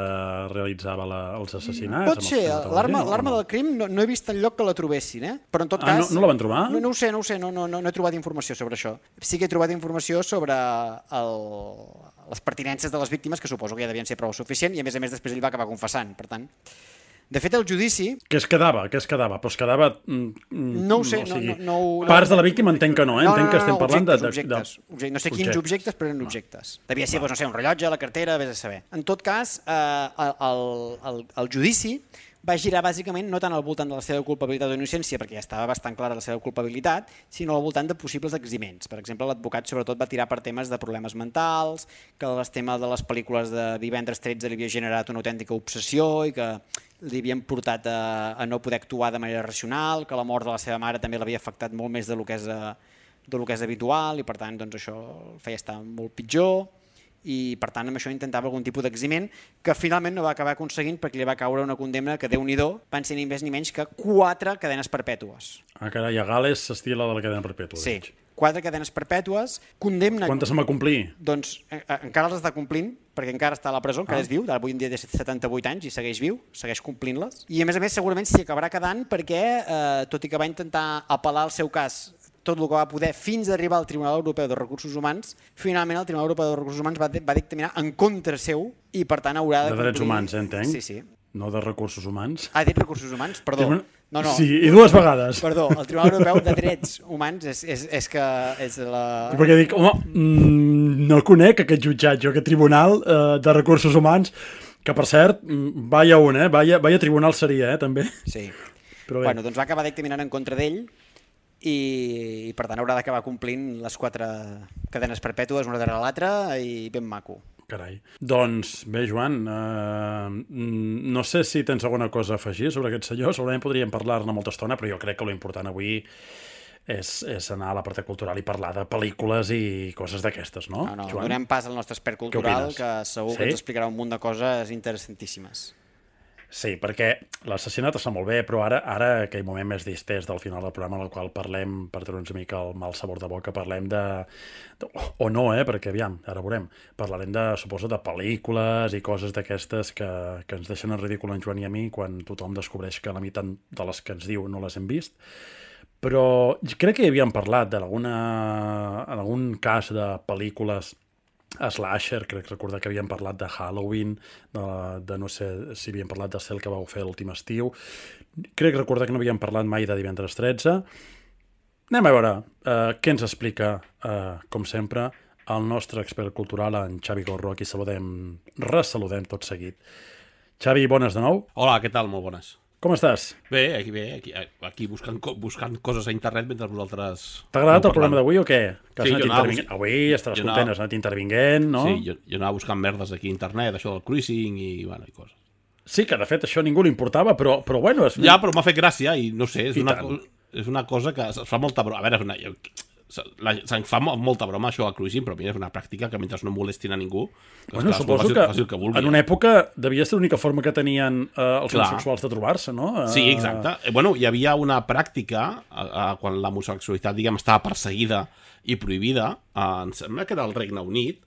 realitzava la, els assassinats. Pot ser, l'arma no? del crim no, no he vist enlloc que la trobessin, eh? Però en tot ah, cas... No, no la van trobar? No, no ho sé, no ho sé, no, no, no, no he trobat informació sobre això. Sí que he trobat informació sobre el, les pertinences de les víctimes, que suposo que ja devien ser prou suficient, i a més a més després ell va acabar confessant, per tant... De fet, el judici... Què es quedava? Què es quedava? Però es quedava... No ho sé. O sigui, no, no, no, parts de la víctima entenc que no, eh? No, entenc no, no, que estem no, parlant objectes, de... objectes, de... objectes. No sé quins objectes, objectes però eren objectes. Devia ser, doncs, no sé, un rellotge, la cartera, vés a saber. En tot cas, eh, el, el, el judici va girar bàsicament no tant al voltant de la seva culpabilitat o innocència, perquè ja estava bastant clara la seva culpabilitat, sinó al voltant de possibles eximents. Per exemple, l'advocat sobretot va tirar per temes de problemes mentals, que el tema de les pel·lícules de Divendres tretze li havia generat una autèntica obsessió i que li havien portat a, a no poder actuar de manera racional, que la mort de la seva mare també l'havia afectat molt més del que és, a, del que és habitual i per tant doncs, això el feia estar molt pitjor i per tant amb això intentava algun tipus d'eximent que finalment no va acabar aconseguint perquè li va caure una condemna que Déu-n'hi-do van ser ni més ni menys que quatre cadenes perpètues. Ah, carai, a Gales s'estila de la cadena perpètua. Sí, quatre cadenes perpètues, condemna... Quantes se'n va complir? Doncs eh, encara les està complint, perquè encara està a la presó, encara ah. és viu, avui en dia té setanta-vuit anys i segueix viu, segueix complint-les. I a més a més segurament s'hi acabarà quedant perquè, eh, tot i que va intentar apel·lar el seu cas tot el que va poder fins a arribar al Tribunal Europeu de Recursos Humans, finalment el Tribunal Europeu de Recursos Humans va, va dictaminar en contra seu i per tant haurà de, de complir... drets humans, eh, entenc? Sí, sí. No de recursos humans. Ah, dit recursos humans? Perdó. Tribunal... No, no. Sí, i dues vegades. Perdó, el Tribunal Europeu de Drets Humans és, és, és que és la... Perquè dic, home, mm, no conec aquest jutjat, jo, aquest tribunal eh, de recursos humans, que per cert, vaya un, eh? Vaya, vaya tribunal seria, eh, també. Sí. Però bé. Bueno, doncs va acabar dictaminant en contra d'ell i, i per tant haurà d'acabar complint les quatre cadenes perpètues una darrere l'altra i ben maco. Carai. Doncs bé, Joan, eh, no sé si tens alguna cosa a afegir sobre aquest senyor, segurament podríem parlar-ne molta estona, però jo crec que l'important avui és, és anar a la part cultural i parlar de pel·lícules i coses d'aquestes, no, no, no Joan? Donem pas al nostre expert cultural, que segur sí? que ens explicarà un munt de coses interessantíssimes. Sí, perquè l'assassinat està molt bé, però ara, ara aquell moment més distès del final del programa en el qual parlem, per treure'ns una mica el mal sabor de boca, parlem de... de o no, eh? Perquè, aviam, ara veurem. Parlarem, de, suposo, de pel·lícules i coses d'aquestes que, que ens deixen en ridícul en Joan i a mi quan tothom descobreix que la meitat de les que ens diu no les hem vist. Però crec que hi havíem parlat d'alguna... en algun cas de pel·lícules slasher, crec recordar que havíem parlat de Halloween, de, de no sé si havíem parlat de Cel que vau fer l'últim estiu, crec recordar que no havíem parlat mai de Divendres tretze. Anem a veure uh, què ens explica, uh, com sempre, el nostre expert cultural, en Xavi Gorro, a qui saludem, ressaludem tot seguit. Xavi, bones de nou. Hola, què tal? Molt bones. Com estàs? Bé, aquí bé, aquí, aquí buscant, buscant coses a internet mentre vosaltres... T'ha agradat el programa d'avui o què? Que has sí, anat intervinguent. Bus... Avui estaràs content, anava... has anat intervinguent, no? Sí, jo, jo anava buscant merdes aquí a internet, això del cruising i, bueno, i coses. Sí, que de fet això a ningú li importava, però, però bueno... És... Ja, però m'ha fet gràcia i no sé, és, una, és una cosa que es fa molta broma. A veure, és una... La, se'n fa molta broma això al cruising, però mira, és una pràctica que mentre no molestin a ningú, bueno, clar, suposo que, que, que vulgui, en una època devia ser l'única forma que tenien eh, els homosexuals de trobar-se, no? Uh... Sí, exacte. Eh, bueno, hi havia una pràctica eh, eh, quan l'homosexualitat, diguem, estava perseguida i prohibida, eh, em sembla que era el Regne Unit,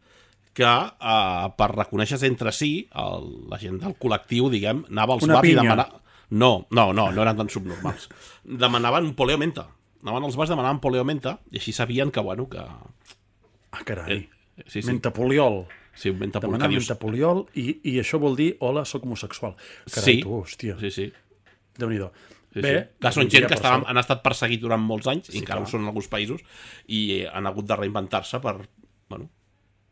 que eh, per reconèixer-se entre si, el, la gent del col·lectiu, diguem, anava als una bars pinya. I demanava... No, no, no, no eren tan subnormals. Demanaven un poleo menta. Anaven als bars, demanaven poleo menta, i així sabien que, bueno, que... Ah, carai. Eh, sí, sí. Mentapoliol. Sí, un mentapoliol. Demanar mentapoliol i, i això vol dir, hola, soc homosexual. Carai, sí. tu, hòstia. Sí, sí. Déu-n'hi-do. Sí, Bé, sí. Que són un gent dia que per estaven, sort. han estat perseguits durant molts anys, Sí, i encara clar. ho són en alguns països, i han hagut de reinventar-se per, bueno,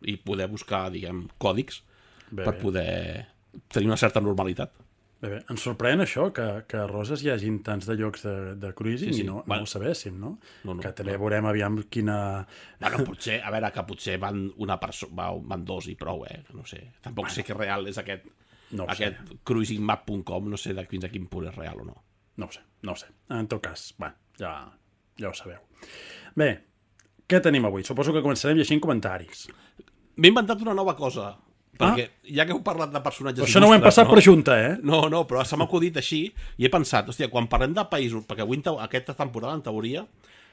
i poder buscar, diguem, còdics Bé, per bé. poder tenir una certa normalitat. Bé, bé. Ens sorprèn això, que, que a Roses hi hagin tants de llocs de, de cruising Sí, sí. i no, Bueno. no ho sabéssim, no? No, no, que també no. veurem aviam quina... Bueno, potser, a veure, que potser van una persona, van dos i prou, eh? No sé. Tampoc bueno. sé que real és aquest, No ho aquest cruising map punt com, no sé de fins a quin punt és real o no. No ho sé, no ho sé. En tot cas, bueno, ja, ja ho sabeu. Bé, què tenim avui? Suposo que començarem llegint comentaris. M'he inventat una nova cosa, perquè ja que heu parlat de personatges Però això no ho hem il·lustres, passat no? per junta, eh? No, no, però se m'ha acudit així i he pensat, hòstia, quan parlem de països, perquè avui en teo- aquesta temporada, en teoria,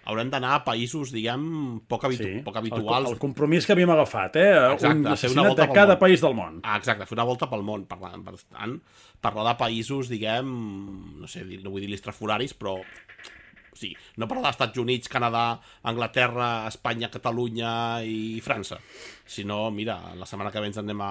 haurem d'anar a països, diguem, poc, habitu Sí, poc el, habituals. el compromís que havíem agafat, eh? Exacte, Un fer una assassinat volta de pel cada món. país del món. Ah, exacte, fer una volta pel món, parlant, per tant, parlar de països, diguem, no sé, no vull dir listrafuraris, però o sigui, no parlar dels Estats Units, Canadà, Anglaterra, Espanya, Catalunya i França, sinó, mira, la setmana que ve ens anem a,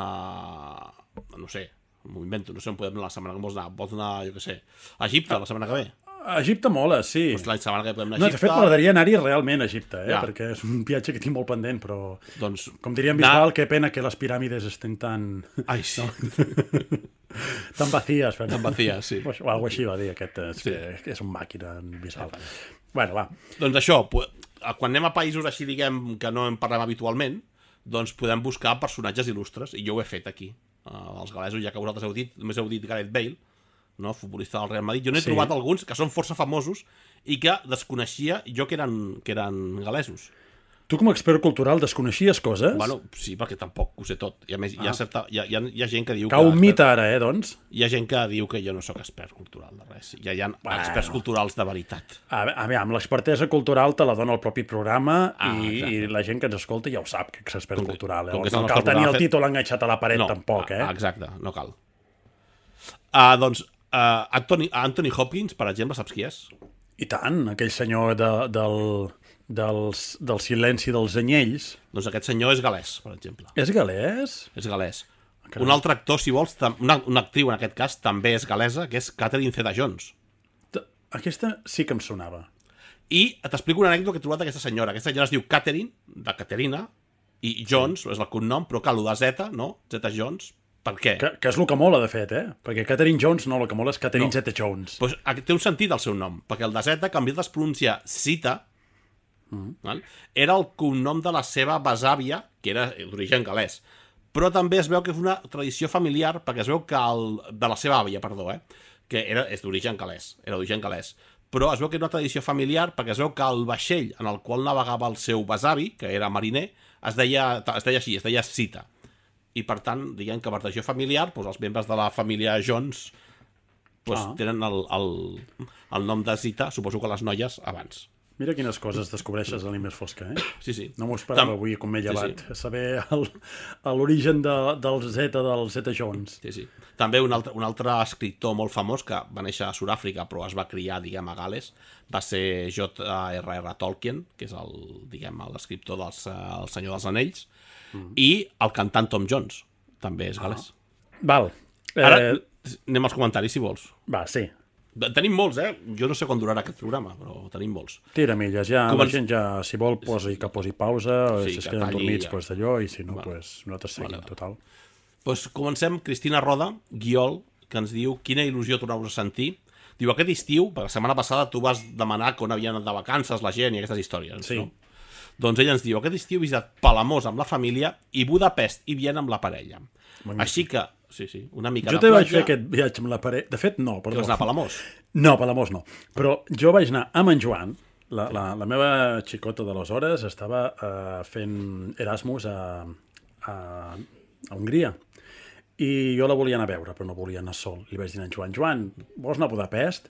a no sé, m'ho invento, no sé on podem anar la setmana que vols anar, vols anar, jo què sé, a Egipte la setmana que ve. A Egipte mola, sí. Doncs la setmana que ve podem anar No, a de Egipte. fet, m'agradaria anar-hi realment a Egipte, eh? Ja. Perquè és un viatge que tinc molt pendent, però... Doncs, Com diria en anar- Bisbal, que pena que les piràmides estén tan... Ai, sí, tan vacíes. Però... tan vacíes, sí. O alguna així va dir aquest, és, Sí. que, que és un màquina en Bisbal. Bueno, va. Doncs això, pu- quan anem a països així, diguem, que no en parlem habitualment, doncs podem buscar personatges il·lustres, i jo ho he fet aquí. Uh, els galesos, ja que vosaltres heu dit, només heu dit Gareth Bale, no? Futbolista del Real Madrid. Jo n'he Sí. trobat alguns que són força famosos i que desconeixia jo que eren, que eren galesos. Tu, com a expert cultural, desconeixies coses? Bueno, sí, perquè tampoc ho sé tot. I a més, hi, ha certa, hi, ha, hi, ha, hi ha gent que diu Cau que... un mite ara, eh, doncs? Hi ha gent que diu que jo no sóc expert cultural de res. Ja hi ha Bueno. experts culturals de veritat. A, a veure, amb l'expertesa cultural te la dona el propi programa Ah, i, exacte. i la gent que ens escolta ja ho sap, que és expert Com que- cultural. Eh? com que és No el cal nostre tenir el programa fet- títol enganxat a la paret, tampoc, eh? ah, exacte, no cal. Uh, doncs, uh, Anthony, Anthony Hopkins, per exemple, saps qui és? I tant, aquell senyor de, del, dels, del silenci dels anyells. Doncs aquest senyor és galès, per exemple. És galès? És galès. Carai. Un altre actor, si vols, tam- una, una actriu en aquest cas, també és galesa, que és Catherine Zeta-Jones. T- Aquesta sí que em sonava. I t'explico una anècdota que he trobat d'aquesta senyora. Aquesta senyora es diu Catherine, de Caterina, i Jones és el cognom, però cal, lo de Zeta, no? Zeta-Jones. Per què? Que, que és el que mola, de fet, eh? Perquè Catherine Jones no, el que mola és Catherine No. Zeta-Jones. Pues, té un sentit el seu nom, perquè el de Zeta, que en comptes es pronuncia Cita, mm. val? Era el cognom de la seva besàvia, que era d'origen galès. Però també es veu que és una tradició familiar, perquè es veu que el, de la seva àvia, perdó, eh? que era, és d'origen galès, era d'origen galès. Però es veu que era una tradició familiar, perquè es veu que el vaixell en el qual navegava el seu besavi, que era mariner, es deia, es deia així, es deia Cita. I per tant, diguem que per tradició familiar, doncs els membres de la família Jones doncs, Ah. tenen el, el, el nom de Zita, suposo que les noies abans. Mira quines coses descobreixes a l'I més Fosca, eh? Sí, sí. No m'ho esperava Tam- avui, com m'he Sí, llevat, sí. saber el- l'origen de, del Zeta, del Zeta-Jones. Sí, sí. També un altre, un altre escriptor molt famós que va néixer a Sud-àfrica però es va criar, diguem, a Gales, va ser J R R Tolkien, que és el, diguem, l'escriptor del El Senyor dels Anells, mm. i el cantant Tom Jones, també és galès. Val. Eh, Ara anem als comentaris, si vols. Va, sí. Tenim molts, eh? Jo no sé quan durarà aquest programa, però tenim molts. Tira milles, ja Començ- la gent ja, si vol, posi, que posi pausa, Sí, si es que queden talli dormits, ja. pues d'allò, i si no, Vale. pues, nosaltres seguim, Vale. total. Doncs comencem, Cristina Roda, Guiol, que ens diu quina il·lusió tornar-vos a sentir. Diu, aquest estiu, perquè la setmana passada tu vas demanar on havien anat de vacances la gent i aquestes històries, Sí. no? Doncs ella ens diu, aquest estiu he visitat Palamós amb la família i Budapest i Viena amb la parella. Magnífic. Així que, sí, sí, una mica Jo de també vaig platja. fer aquest viatge amb la parella. De fet, no, Que perdó. vas anar a Palamós. No, a Palamós no. Però jo vaig anar amb en Joan, la, la, la meva xicota d'aleshores estava uh, fent Erasmus a, a, a Hongria. I jo la volia anar a veure, però no volia anar sol. Li vaig dir a en Joan, Joan, vols anar a Budapest?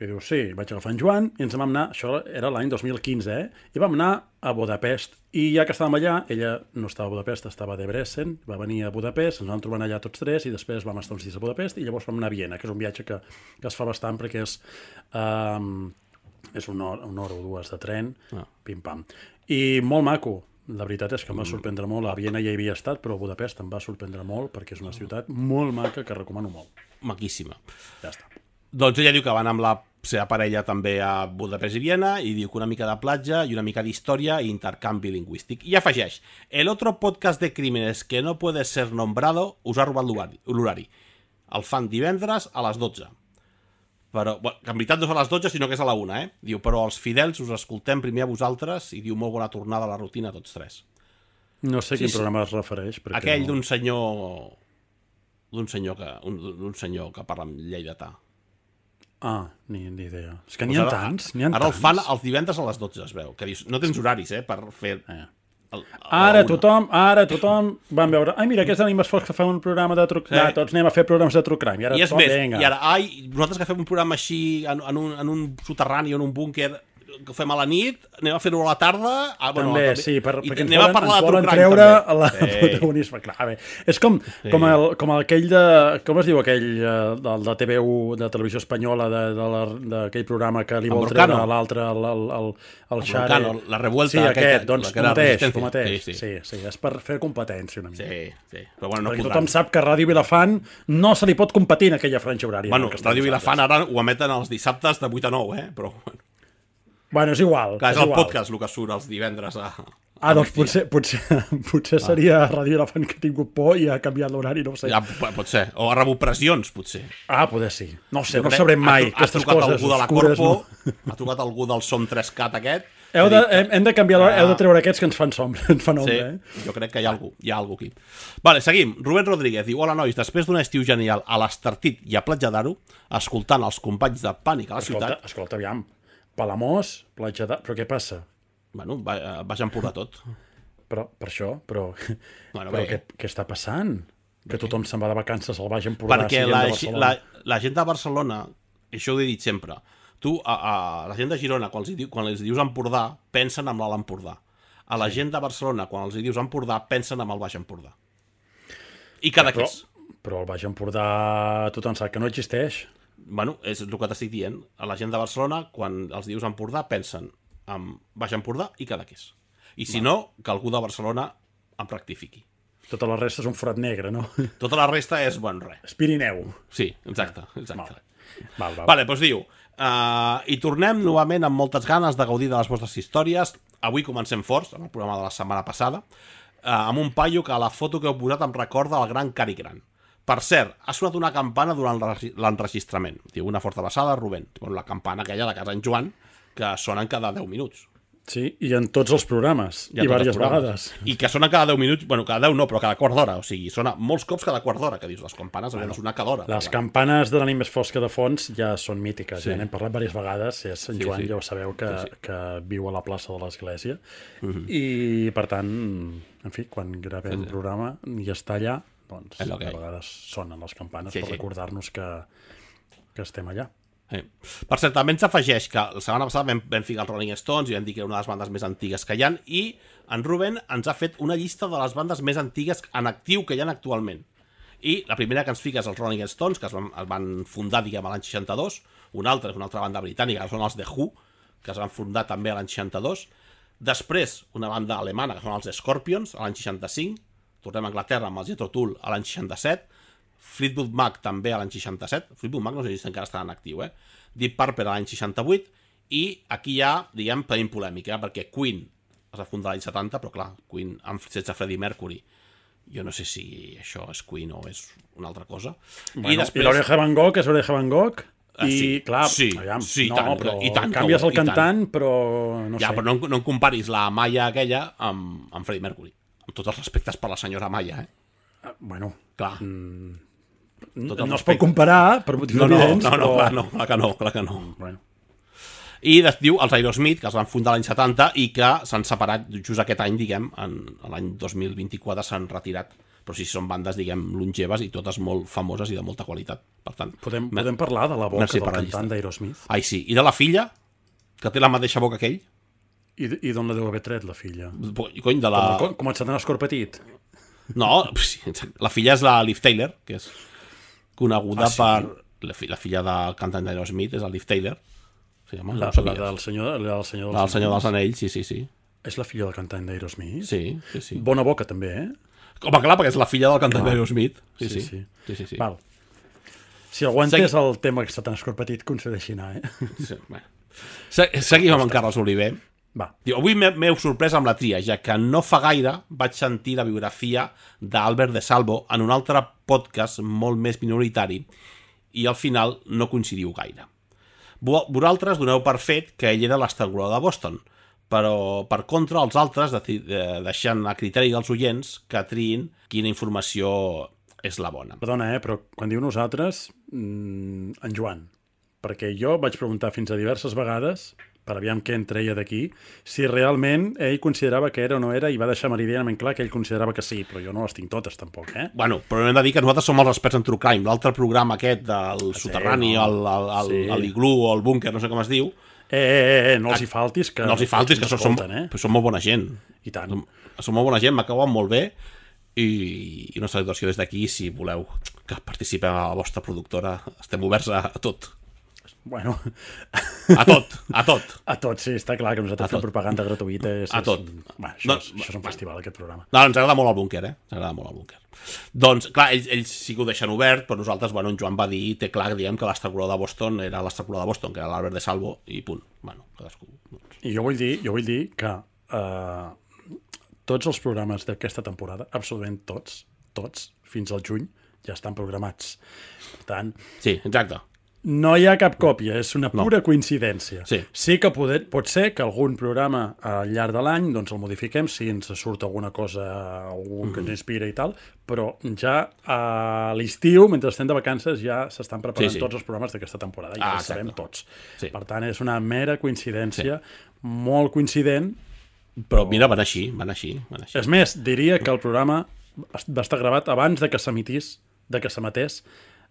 I diu, sí, vaig agafar en Joan i ens vam anar, això era l'any dos mil quinze, eh? I vam anar a Budapest. I ja que estàvem allà, ella no estava a Budapest, estava a Debrecen, va venir a Budapest, ens vam trobar allà tots tres i després vam estar uns dies a Budapest i llavors vam anar a Viena, que és un viatge que, que es fa bastant perquè és, um, és una hora, una hora o dues de tren, Ah. pim-pam. I molt maco. La veritat és que em va sorprendre molt. A Viena ja hi havia estat, però a Budapest em va sorprendre molt perquè és una ciutat molt maca que recomano molt. Maquíssima. Ja està. Doncs ella diu que van amb la seva parella també a Budapest i Viena i diu que una mica de platja i una mica d'història i intercanvi lingüístic. I afegeix, el otro podcast de crímenes que no puede ser nombrado us ha robat l'horari. El fan divendres a les dotze. Però, bueno, que en veritat no és a les dotze, sinó que és a la una, eh? Diu, però els fidels us escoltem primer a vosaltres i diu molt bona tornada a la rutina a tots tres. No sé Sí, quin sí. programa es refereix. perquè Aquell no... d'un senyor... d'un senyor que un, d'un senyor que parla amb lleidatà. Ah, ni, ni idea. És que n'hi Doncs ha ara- tants, n'hi ha Ara el tants. fan els divendres a les dotze, es veu. Que dius, no tens horaris, eh, per fer... Eh. El, Ara una. tothom, ara tothom van veure, ai mira, aquests animes fos que fan un programa de true Sí. crime, tots anem a fer programes de true crime, i ara I és tothom, més, vinga. i ara, ai, nosaltres que fem un programa així en, en, un, en un soterrani o en un búnquer que ho fem a la nit, anem a fer-ho a la tarda... Ah, bueno, També, sí, per, i perquè ens anem volen, a parlar ens de volen true crime, treure també. la, el Sí. protagonisme. Clar, bé. És com, com, el, com aquell de... Com es diu aquell eh, del de T V u, de Televisió Espanyola, de- de la- d'aquell programa que li El vol Broncano. treure a l'altre, el, el, el, el El Xare. Broncano, la revuelta, Sí, aquell aquest, que- doncs, la que era el mateix, resistència. el mateix. Sí, sí. Sí, sí, és per fer competència una mica. Sí, sí. Però bueno, no Perquè podran. tothom sap que Ràdio Vilafant no se li pot competir en aquella franja horària. Bueno, en què estem Ràdio Vilafant nosaltres. ara ho emeten els dissabtes de vuit a nou, eh? Però, bueno, Bueno, és igual. clar, és és el igual. podcast el que surt els divendres a... Ah, doncs potser, potser, potser seria Ràdio Vilafant que ha tingut por i ha canviat l'horari, no ho sé. Ja, p- pot ser. O ha rebut pressions, potser. Ah, poder sí. No ho sé, Jo no crec- sabrem mai. Ha, ha Aquestes trucat coses algú de la oscures, Corpo, no? ha trucat algú del Som tres cat aquest. Heu ha de, dit que- hem, hem de canviar l'hora, heu de Ah. treure aquests que ens fan sombra, ens fan Sí, ombra, eh? jo crec que hi ha algú, hi ha algú aquí. Vale, seguim. Rubén Rodríguez diu, hola nois, després d'un estiu genial a l'Estartit i a Platja d'Aro, escoltant els companys de Pànic a la Escolta, ciutat, escolta, aviam. Palamós, platja de... Però què passa? bueno, va, vaig empurrar tot. Però, per això, però... Bueno, però bé. què, què està passant? Que tothom se'n va de vacances al Baix Empordà, Perquè siguem la, de la, Barcelona. la gent de Barcelona, això ho he dit sempre, tu, a, a la gent de Girona, quan els, diu, quan els dius Empordà, pensen en l'Alt Empordà. A la gent de Barcelona, quan els dius Empordà, pensen en el Baix Empordà. I cada Però, és. però el Baix Empordà tothom sap que no existeix. Bueno, és el que t'estic dient. A la gent de Barcelona, quan els dius Empordà, pensen en Baix Empordà i cada és. I si no, que algú de Barcelona em rectifiqui. Tota la resta és un forat negre, no? Tota la resta és, bueno, res. És Pirineu. Sí, exacte, exacte. Val, val. Vale, doncs diu, uh, i tornem novament amb moltes ganes de gaudir de les vostres històries. Avui comencem forts, en el programa de la setmana passada, uh, amb un paio que a la foto que heu posat em recorda el gran Cari Gran. Per cert, ha sonat una campana durant l'enregi- l'enregistrament. Diu, una forta abraçada, Rubén. Bueno, la campana aquella de casa en Joan, que sonen cada deu minuts. Sí, i en tots els programes. Ja I tots els diverses programes. vegades. I que sonen cada deu minuts, bueno, cada deu no, però cada quart d'hora. O sigui, sona molts cops cada quart d'hora, que dius, les campanes haurien de sonar cada hora. Les Però, campanes de l'ànim més fosca de fons ja són mítiques, Sí. ja n'hem parlat diverses vegades, és Sant Sí, Joan, sí. ja ho sabeu, que, Sí, sí. que viu a la plaça de l'Església, Mhm. i per tant, en fi, quan gravem un programa i està allà, doncs És a el que hi ha. vegades sonen les campanes Sí, per sí. recordar-nos que, que estem allà. Eh. Per cert, també ens afegeix que la setmana passada vam, vam ficar els Rolling Stones i vam dir que era una de les bandes més antigues que hi ha, i en Rubén ens ha fet una llista de les bandes més antigues en actiu que hi ha actualment. I la primera que ens fica és els Rolling Stones, que es van, es van fundar, diguem, a l'any seixanta-dos. Una altra és una altra banda britànica, que són els The Who, que es van fundar també a l'any seixanta-dos. Després, una banda alemana, que són els Scorpions, a l'any seixanta-cinc. Tornem a Anglaterra amb els Jethro Tull a l'any seixanta-set. Fleetwood Mac també a l'any seixanta-set. Fleetwood Mac no sé si encara està en actiu, eh? Deep Purple a l'any seixanta-vuit. I aquí hi ha, diguem, tenim polèmica, perquè Queen es va fundar l'any setanta, però clar, Queen amb, sense Freddie Mercury. Jo no sé si això és Queen o és una altra cosa. Bueno, I, després... I l'Oreja Van Gogh és Oreja Van Gogh, Ah, i sí, clar, sí, aviam, sí, no, tant, però i tant que canvies ho- el i tant. cantant, però no ja, sé. però no, no em comparis la Maya aquella amb, amb Freddie Mercury. Amb tots els respectes per la senyora Maya, eh? Ah, bueno, Clar. mm, Tots els no es pot respectes. comparar per motius No, no, evidents, no, no, però... clar, no, clar que no, clar que no. Bueno. I es diu els Aerosmith, que es van fundar l'any setanta i que s'han separat just aquest any, diguem, en l'any dos mil vint-i-quatre s'han retirat. Però sí, són bandes, diguem, longeves i totes molt famoses i de molta qualitat. Per tant, Podem, me- podem parlar de la boca Merci del per la cantant llista. d'Aerosmith? Ai, sí. I de la filla, que té la mateixa boca que ell. I, i d'on la deu haver tret, la filla? Cony, de la... Com, com et s'ha d'anar petit? No, sí, exacte. La filla és la Liv Taylor, que és coneguda Ah, sí? per... La, fi- la filla del cantant d'Aerosmith és la Liv Taylor. Se llama, La, no ho la sabies? del senyor, la del senyor dels La del Senyor dels Anells. Anells, sí, sí, sí. És la filla del cantant d'Aerosmith? Sí, sí, sí. Bona boca, també, eh? Home, clar, perquè és la filla del cantant Clar. d'Aerosmith. Sí, Sí, sí. sí. sí, sí, sí. Val. Si aguantes Segui... el tema que està tan escorpetit, concedeixi anar, eh? Sí, bueno. Seguim amb en Carles Oliver. Va. Diu, avui m'heu sorprès amb la tria, ja que no fa gaire vaig sentir la biografia d'Albert de Salvo en un altre podcast molt més minoritari i al final no coincidiu gaire. Vosaltres doneu per fet que ell era l'estrangulador de Boston, però per contra els altres deixant a criteri dels oients que triïn quina informació és la bona. Perdona, eh, però quan diu nosaltres, mmm, en Joan, perquè jo vaig preguntar fins a diverses vegades, per aviam què en treia d'aquí, si realment ell considerava que era o no era, i va deixar meridianament clar que ell considerava que sí, però jo no les tinc totes, tampoc, eh? Bueno, però hem de dir que nosaltres som els experts en True Crime. L'altre programa aquest del sí, soterrani, no. el, el, el, sí. l'iglú o el búnquer, no sé com es diu... Eh, eh, eh, no els hi faltis, que... No els hi faltis, que, que som, eh? som molt bona gent. I tant. Som, som molt bona gent, m'acaben molt bé, i, i una salutació des d'aquí, si voleu que participem a la vostra productora, estem oberts a, a tot. Bueno... A tot, a tot. A tot, sí, està clar que nosaltres fem propaganda gratuïta. És, a tot. És, bueno, això, no, és, això és un festival, aquest programa. No, ens agrada molt el búnquer, eh? Ens agrada molt el búnquer. Doncs, clar, ells, ells sí que ho deixen obert, però nosaltres, bueno, en Joan va dir, té clar, diem que l'estrangulador de Boston era l'estrangulador de Boston, que era l'Albert de Salvo, i punt. Bueno, cadascú. Doncs. I jo vull dir, jo vull dir que eh, tots els programes d'aquesta temporada, absolutament tots, tots, fins al juny, ja estan programats. Per tant... Sí, exacte. No hi ha cap còpia, és una pura no. coincidència. Sí, sí que poder, pot ser que algun programa al llarg de l'any doncs el modifiquem si ens surt alguna cosa, algun mm. que ens inspira i tal, però ja a l'estiu, mentre estem de vacances, ja s'estan preparant sí, sí. tots els programes d'aquesta temporada, ja ah, els sabem tots. Sí. Per tant, és una mera coincidència, sí. molt coincident. Però mira, van així, van així, van així. És més, diria que el programa va estar gravat abans de que s'emitís, de que s'emetés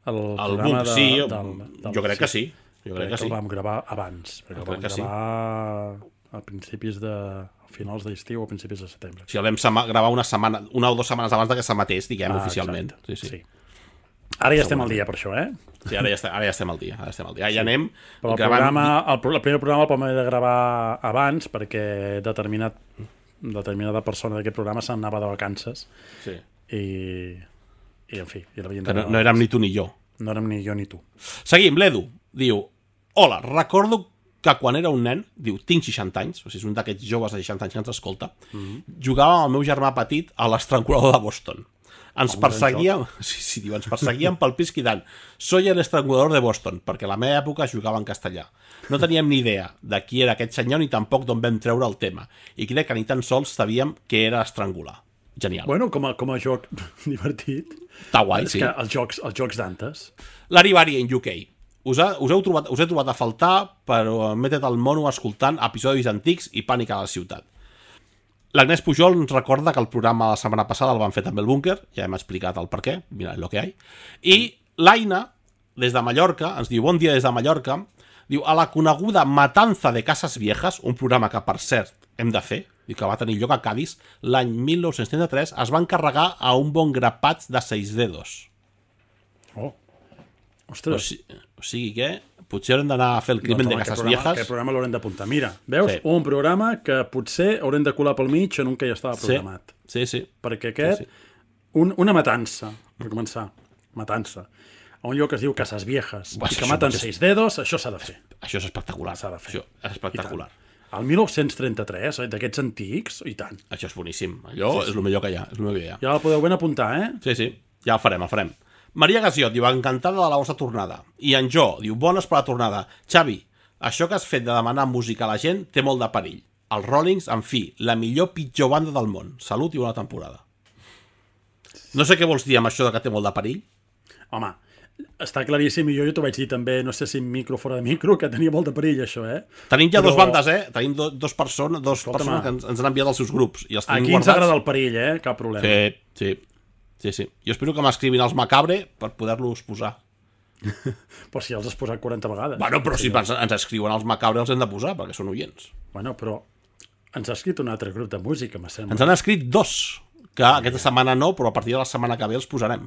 el, el programa book, de, sí, del, del, jo crec que sí. Jo crec, crec que, que sí. el vam gravar abans, perquè el vam gravar sí. a principis de... a finals d'estiu o a principis de setembre. Sí, el vam gravar una setmana, una o dues setmanes abans de que s'emetés, diguem, ah, oficialment. Sí, sí. sí. Ara ja estem al dia per això, eh? Sí, ara ja, estem, ara ja estem al dia. Ara estem al dia. Ja, ja anem... Però el, gravant... programa, el, el primer programa el vam haver de gravar abans perquè determinat, determinada persona d'aquest programa se'n anava de vacances. Sí. I... I, en fi... I que no, no érem ni tu ni jo. No érem ni jo ni tu. Seguim, l'Edu diu: hola, recordo que quan era un nen, diu, tinc seixanta anys, o sigui, és un d'aquests joves de seixanta anys que ens escolta, mm-hmm. jugava amb el meu germà petit a l'estrangulador de Boston. Ens oh, perseguíem, sí, sí, diu, ens perseguíem pel pis cridant: soy el estrangulador de Boston, perquè a la meva època jugava en castellà. No teníem ni idea de qui era aquest senyor ni tampoc d'on vam treure el tema, i crec que ni tan sols sabíem què era estrangular. Genial. Bueno, com a, com a joc divertit. Està guai, és sí. Que els jocs, els jocs d'antes. L'Arivari en U K. Us, ha, us, heu trobat, us he trobat a faltar, però m'he tret el mono escoltant episodis antics i Pànic a la ciutat. L'Agnès Pujol ens recorda que el programa la setmana passada el van fer també el búnquer, ja hem explicat el per què, mira lo que hi ha. I l'Aina, des de Mallorca, ens diu, bon dia des de Mallorca, diu, a la coneguda Matanza de Casas Viejas, un programa que, per cert, hem de fer, i que va tenir lloc a Cádiz, l'any mil nou-cents trenta-tres es van carregar a un bon grapat de seis dedos. Oh, ostres. O, si, o sigui que potser haurem d'anar a fer el crimen doncs, de Casas Viejas. Aquest programa l'haurem d'apuntar. Mira, veus? Sí. Un programa que potser haurem de colar pel mig en un que ja estava programat. Sí, sí. sí. Perquè aquest, sí, sí. Un, una matança, per començar, matança, a un lloc que es diu Casas Viejas, i que maten seis és... dedos, això s'ha de fer. Això és espectacular. S'ha de fer. Això és espectacular. El mil nou-cents trenta-tres, d'aquests antics, i tant. Això és boníssim. Allò sí, sí. és el millor que hi ha. És el millor que hi ha. Ja el podeu ben apuntar, eh? Sí, sí. Ja el farem, el farem. Maria Gasiot diu, encantada de la vostra tornada. I en Jo diu, bones per la tornada. Xavi, això que has fet de demanar música a la gent té molt de perill. Els Rollings, en fi, la millor pitjor banda del món. Salut i bona temporada. No sé què vols dir amb això de que té molt de perill. Home, està claríssim, i jo, jo t'ho vaig dir també, no sé si micro o fora de micro, que tenia molt de perill, això, eh? Tenim ja Però... dos bandes, eh? Tenim do, dos persones, dos Escolta, persones que ens, ens han enviat els seus grups. I els Aquí guardats. Ens agrada el perill, eh? Cap problema. Sí, sí. Sí, sí. Jo espero que m'escrivin els Macabre per poder-los posar. Però si els has posat quaranta vegades. Bueno, però si ens, ens escriuen els Macabre els hem de posar, perquè són oients. Bueno, però ens ha escrit un altre grup de música, m'assembla. Ens han escrit dos, que Ai, aquesta ja. setmana no, però a partir de la setmana que ve els posarem.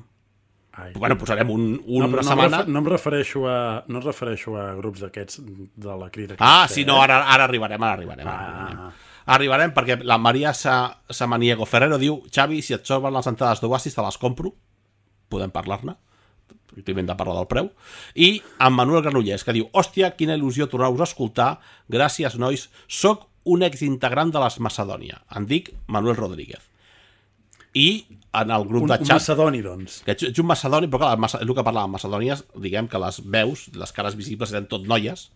Ai, bueno, posarem un, un, no, una no setmana... Em no em refereixo a, no em refereixo a grups d'aquests de la crida. Ah, sí, no, ara, ara arribarem, ara arribarem. Ara ah. arribarem. Arribarem perquè la Maria Sa Samaniego Ferrero diu: Xavi, si et sobren les entrades d'Oasis te les compro. Podem parlar-ne. Climent de parlar del preu, i amb Manuel Granollers, que diu: hòstia, quina il·lusió tornar-vos a escoltar, gràcies, nois, soc un exintegrant de les Macedònia, em dic Manuel Rodríguez. I en el grup un, de xat... xat... Un macedoni, doncs. Que ets un macedoni, però clar, és el que parlàvem, macedònies, diguem que les veus, les cares visibles eren tot noies,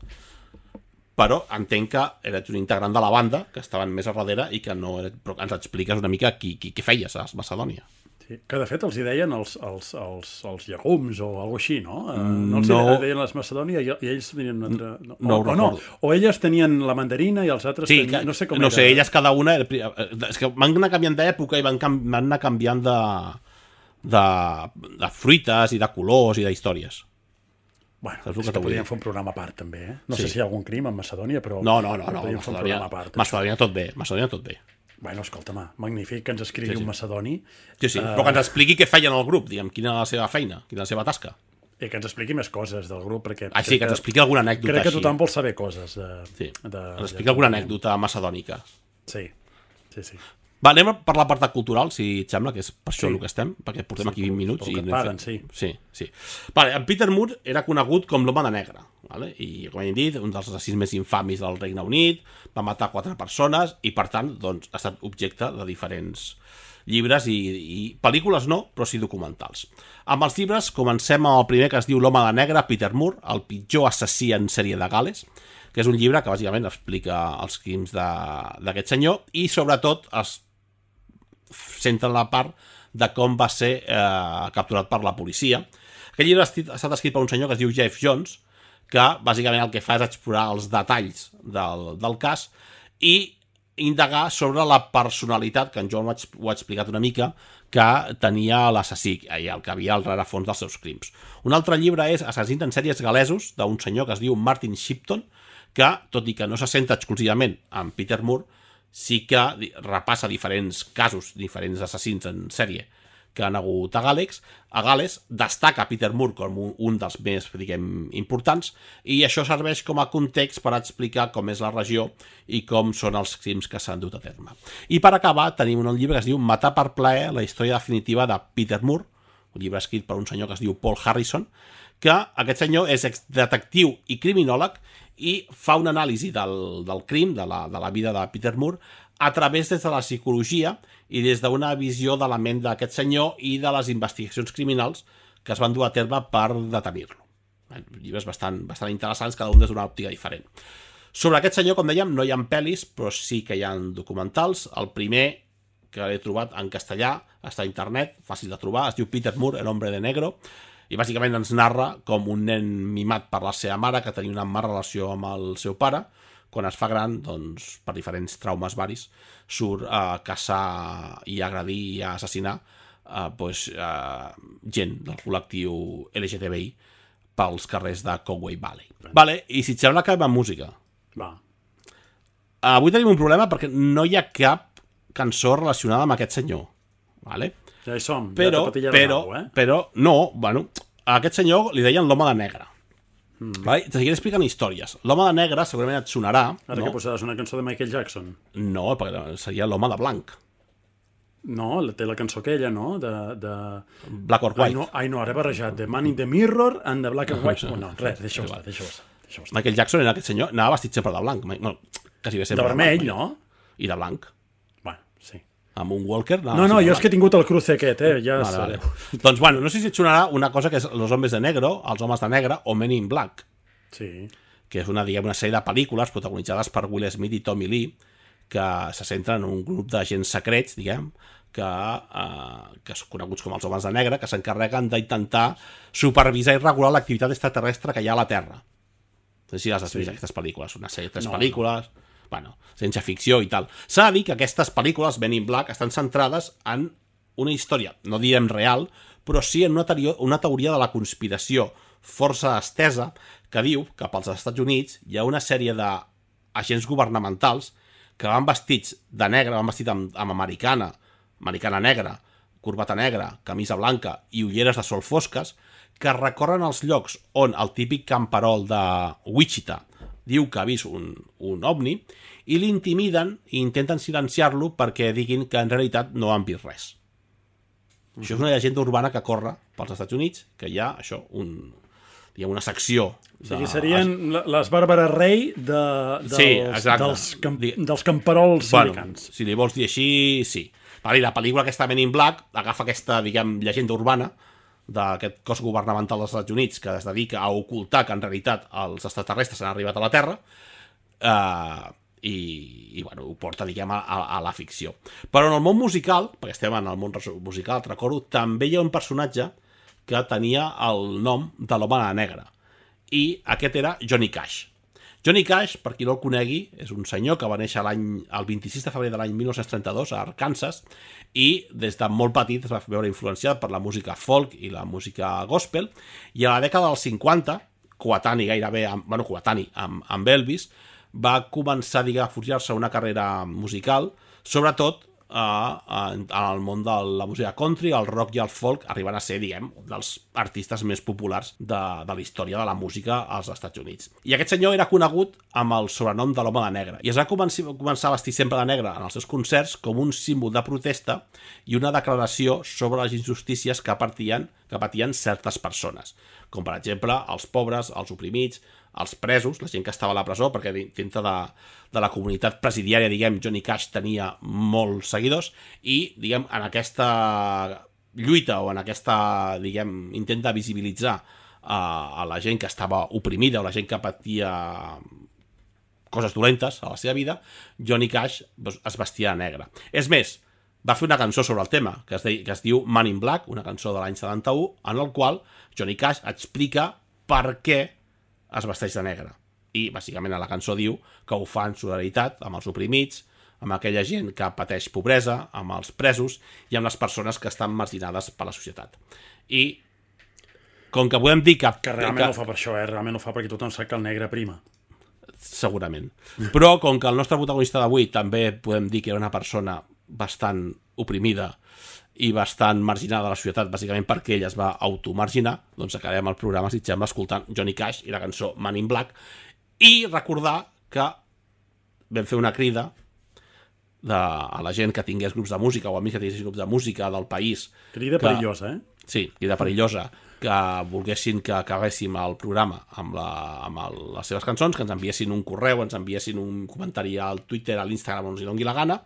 però entenc que eres un integrant de la banda, que estaven més a darrere i que no... Però ens expliques una mica qui, qui, qui feies a Macedònia. Sí, que de fet els hi deien els, els, els, els llegums o alguna així, no? No els No. hi deien les Macedònia i, i ells tenien una altra... No, No ho o, o, no. recordo. O elles tenien la mandarina i els altres Sí, tenien... que, No sé com no era. sé, elles cada una... És que van anar canviant d'època i van, can- van anar canviant de, de, de fruites i de colors i d'històries. Bueno, Saps el és que que t'ho vull podríem dir? fer un programa a part, també, eh? No Sí. sé si hi ha algun crim a Macedònia, però... No, no, no, no, podríem fer un Macedònia, programa a part. Macedònia tot bé, Macedònia tot bé. Bueno, escolta-me, magnífic que ens escrigui Sí, sí. un macedoni Sí, sí, però que ens expliqui què feien al grup, diguem, quina era la seva feina, quina era la seva tasca. i que ens expliqui més coses del grup, perquè... Ah, sí, que ens expliqui alguna anècdota Crec que així. tothom vol saber coses. De, Sí, de, ens expliqui alguna anècdota macedònica. Sí, sí, sí. Va, anem per l'apartat cultural, si et sembla, que és per això Sí. el que estem, perquè portem Sí, aquí vint minuts. pel I que et anem paguen, fent- sí. Sí, sí. Vale, en Peter Moore era conegut com l'home de negre, vale? I, com hem dit, un dels assassins més infamis del Regne Unit, va matar quatre persones i, per tant, doncs, ha estat objecte de diferents llibres i, i pel·lícules no, però sí documentals. Amb els llibres comencem amb el primer, que es diu L'home de negre, Peter Moore, el pitjor assassí en sèrie de Gales, que és un llibre que bàsicament explica els crims de- d'aquest senyor i sobretot es centra en la part de com va ser eh, capturat per la policia. Aquest llibre ha estat- ha estat escrit per un senyor que es diu Jeff Jones, que bàsicament el que fa és explorar els detalls del, del cas i indagar sobre la personalitat, que en Joan ho ha, ex- ho ha explicat una mica, que tenia l'assassí i el que havia al rerefons dels seus crims. Un altre llibre és Assassins en sèries galesos, d'un senyor que es diu Martin Shipton, que, tot i que no se centra exclusivament en Peter Moore, sí que di- repassa diferents casos, diferents assassins en sèrie que han hagut a Gales, a Gales destaca Peter Moore com un, un dels més, diguem, importants, i això serveix com a context per explicar com és la regió i com són els crims que s'han dut a terme. I per acabar tenim un llibre que es diu Matar per plaer, la història definitiva de Peter Moore, un llibre escrit per un senyor que es diu Paul Harrison, que aquest senyor és detectiu i criminòleg i fa una anàlisi del, del crim, de la, de la vida de Peter Moore, a través des de la psicologia i des d'una visió de la ment d'aquest senyor i de les investigacions criminals que es van dur a terme per detenir-lo. Llibres bastant, bastant interessants, cada un des d'una òptica diferent. Sobre aquest senyor, com dèiem, no hi ha pel·lis, però sí que hi ha documentals. El primer que l'he trobat en castellà, està a internet, fàcil de trobar, es diu Peter Moore, el hombre de negro, i bàsicament ens narra com un nen mimat per la seva mare, que tenia una mala relació amb el seu pare, quan es fa gran, doncs, per diferents traumes varis, surt a caçar i a agredir i a assassinar eh, doncs, eh, gent del col·lectiu L G T B I pels carrers de Conway Valley. Vale, i si et sembla que va música. Va. Avui tenim un problema perquè no hi ha cap cançó relacionada amb aquest senyor. Vale? Ja hi som, Però, ja t'ha però, patillat eh? però, no, bueno, a aquest senyor li deien l'home de negre. Mm. Vale? Te seguiré explicant històries. L'home de negre segurament et sonarà. Ara no? que posaràs una cançó de Michael Jackson. No, perquè seria l'home de blanc. No, la- té la cançó aquella, no? De... de... Black or Ai, White. no, ai, no, ara he barrejat. The Man in the Mirror and the Black and White. Oh, no, res, deixa-ho estar, deixa-ho estar. Deixa estar. Michael Jackson era aquest senyor, anava vestit sempre de blanc. Bueno, quasi bé De sempre vermell, blanc, no? I de blanc. Bueno, sí. Amb un Walker. No, no, jo és que he tingut el cruce aquest, eh? Ja Vale, sabeu. vale. Doncs, bueno, no sé si et sonarà una cosa que és Los hombres de negro, els homes de negre, o Men in Black, Sí. que és una, diguem, una sèrie de pel·lícules protagonitzades per Will Smith i Tommy Lee, que se centren en un grup d'agents secrets, diguem, que, eh, que són coneguts com els homes de negre, que s'encarreguen d'intentar supervisar i regular l'activitat extraterrestre que hi ha a la Terra. No sé si les has vist, Sí. aquestes pel·lícules. Una sèrie de tres No, pel·lícules, bueno, ciència ficció i tal. S'ha de dir que aquestes pel·lícules, Men in Black, estan centrades en una història, no diem real, però sí en una, teoria, una teoria de la conspiració força estesa que diu que pels Estats Units hi ha una sèrie d'agents governamentals que van vestits de negre, van vestits amb, amb americana, americana negra, corbata negra, camisa blanca i ulleres de sol fosques, que recorren els llocs on el típic camperol de Wichita diu que ha vist un, un ovni i l'intimiden i intenten silenciar-lo perquè diguin que en realitat no han vist res. Mm. Això és una llegenda urbana que corre pels Estats Units, que hi ha, això, un, diguem, una secció... De... O sigui, serien les Bàrbares Rei de, dels, sí, dels, camp, dels camperols bueno, americans. Si li vols dir així, sí. Vale, la pel·lícula aquesta Men in Black agafa aquesta, diguem, llegenda urbana d'aquest cos governamental dels Estats Units que es dedica a ocultar que en realitat els extraterrestres han arribat a la Terra, eh, i, i bueno, ho porta, diguem, a, a la ficció. Però en el món musical, perquè estem en el món musical, et recordo, també hi ha un personatge que tenia el nom de l'home a la negra, i aquest era Johnny Cash. Johnny Cash, per qui no el conegui, és un senyor que va néixer l'any el vint-i-sis de febrer de l'any mil nou-cents trenta-dos a Arkansas, i des de molt petit es va veure influenciat per la música folk i la música gospel, i a la dècada dels cinquanta, coetani gairebé, amb, bueno, coetani amb, amb Elvis, va començar, diguem, a forjar-se una carrera musical, sobretot eh, en, en el món de la música country, el rock i el folk, arribant a ser, diguem, dels artistes més populars de, de la història de la música als Estats Units. I aquest senyor era conegut amb el sobrenom de l'home de negre, i es va començar, començar a vestir sempre de negre en els seus concerts com un símbol de protesta i una declaració sobre les injustícies que patien, que patien certes persones, com per exemple els pobres, els oprimits, els presos, la gent que estava a la presó, perquè dintre de, de la comunitat presidiària, diguem, Johnny Cash tenia molts seguidors, i, diguem, en aquesta lluita o en aquesta, diguem, intent de visibilitzar uh, a la gent que estava oprimida o la gent que patia coses dolentes a la seva vida, Johnny Cash doncs, es vestia de negre. És més, va fer una cançó sobre el tema, que es, de, que es diu Man in Black, una cançó de l'any setanta-u, en el qual Johnny Cash explica per què es vesteix de negre. I, bàsicament, a la cançó diu que ho fa en solidaritat amb els oprimits, amb aquella gent que pateix pobresa, amb els presos i amb les persones que estan marginades per la societat. I, com que podem dir que... Que realment que, no ho fa per això, eh? Realment ho fa perquè tothom sap que el negre prima. Segurament. Però, com que el nostre protagonista d'avui també podem dir que era una persona bastant oprimida i bastant marginada de la societat, bàsicament perquè ell es va automarginar, doncs acabem el programa, si sembla, escoltant Johnny Cash i la cançó Man in Black, i recordar que vam fer una crida de, a la gent que tingués grups de música o amics que tinguessin grups de música del país. Crida que, perillosa, eh? Sí, crida perillosa, que volguessin que acabéssim el programa amb, la, amb el, les seves cançons, que ens enviessin un correu, ens enviessin un comentari al Twitter, a l'Instagram, on els doni la gana,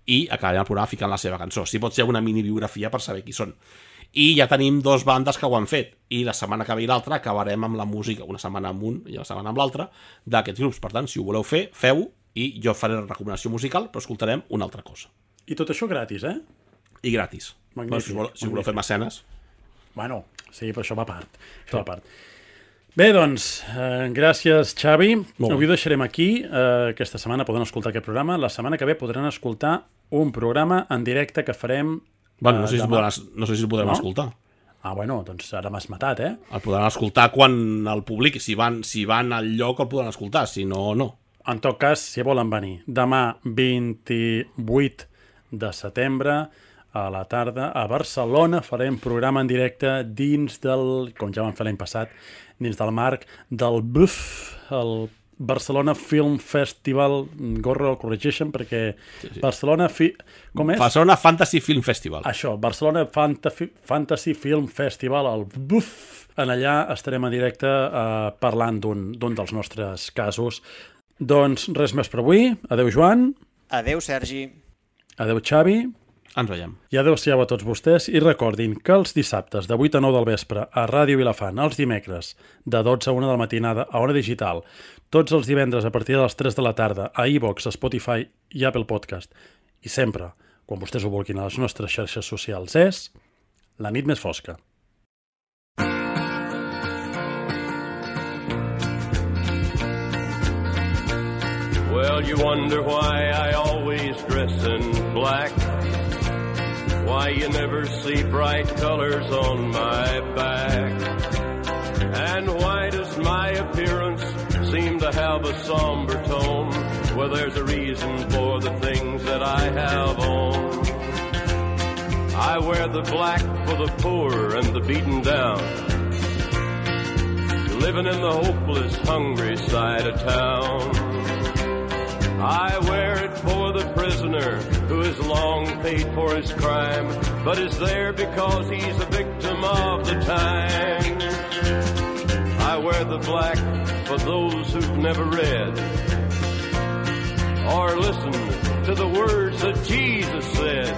i acabarem el programa ficant la seva cançó. Si pot ser una mini biografia per saber qui són. I ja tenim dos bandes que ho han fet, i la setmana que ve i l'altra acabarem amb la música, una setmana amb un i la setmana amb l'altra, d'aquests grups. Per tant, si ho voleu fer, feu-ho, i jo faré la recomanació musical, però escoltarem una altra cosa. I tot això gratis, eh? I gratis. Magnífic, bueno, si voleu, si voleu fer mecenes. Bueno, sí, però això va a part. Això va a part. Bé, doncs, eh, gràcies, Xavi. Avui ho deixarem aquí. Eh, aquesta setmana poden escoltar aquest programa. La setmana que ve podran escoltar un programa en directe que farem... Bueno, no sé si el podran, no sé si el podrem no? escoltar. Ah, bueno, doncs ara m'has matat, eh? El podran escoltar quan el publiqui. Si van, si van al lloc el podran escoltar, si no, no. En tot cas, si volen venir, demà vint-i-vuit de setembre a la tarda a Barcelona farem programa en directe dins del, com ja vam fer l'any passat, dins del marc del B U F, el Barcelona Film Festival. Gorro, el corregeixen perquè sí, sí. Barcelona... Fi... Com és? Barcelona Fantasy Film Festival. Això, Barcelona Fantasy, Fantasy Film Festival, el B U F. En allà estarem en directe eh, parlant d'un dels nostres casos. Doncs res més per avui. Adéu, Joan. Adéu, Sergi. Adéu, Xavi. Ens veiem. I adéu-siau a tots vostès i recordin que els dissabtes de vuit a nou del vespre a Ràdio Vilafant, els dimecres de dotze a una de la matinada a Ona Digital, tots els divendres a partir de les tres de la tarda a iVox, Spotify i Apple Podcast. I sempre, quan vostès ho vulguin a les nostres xarxes socials, és La nit més fosca. Well, you wonder why I always dress in black, why you never see bright colors on my back, and why does my appearance seem to have a somber tone? Well, there's a reason for the things that I have on. I wear the black for the poor and the beaten down, living in the hopeless, hungry side of town. I wear it for the prisoner who has long paid for his crime, but is there because he's a victim of the time. I wear the black for those who've never read or listened to the words that Jesus said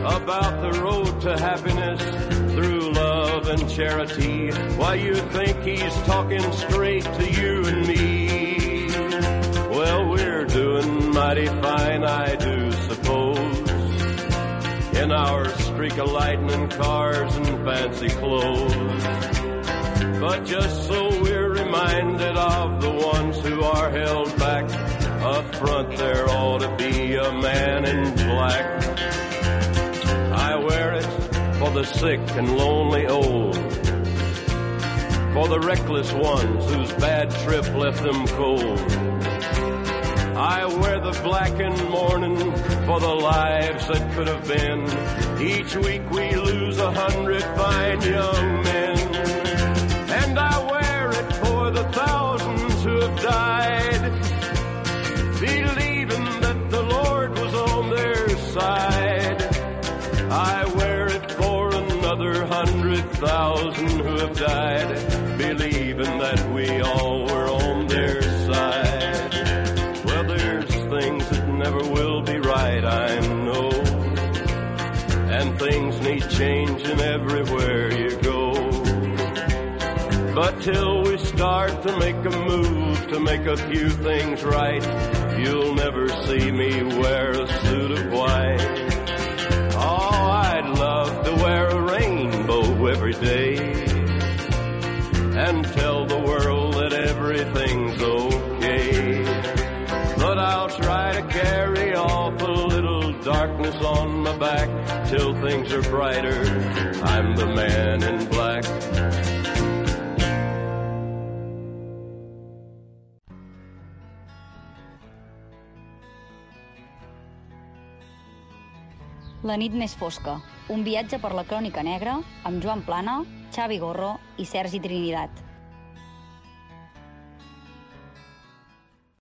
about the road to happiness through love and charity. Why, you think he's talking straight to you and me? Well, we're doing mighty fine, I do suppose, in our streak of lightning cars and fancy clothes. But just so we're reminded of the ones who are held back, up front there ought to be a man in black. I wear it for the sick and lonely old, for the reckless ones whose bad trip left them cold. I wear the black in mourning for the lives that could have been. Each week we lose a hundred fine young men. And I wear it for the thousands who have died, believing that the Lord was on their side. I wear it for another hundred thousand who have died, believing that we all were on their side. Well, there's things that never will be right, I know, and things need changing everywhere you go. But till we start to make a move to make a few things right, you'll never see me wear a suit of white. Oh, I'd love to wear a rainbow every day and tell the world that everything's okay. But I'll try to carry off a little darkness on my back till things are brighter. I'm the man in black. La nit més fosca, un viatge per la crònica negra amb Joan Plana, Xavi Gorro i Sergi Trinidad.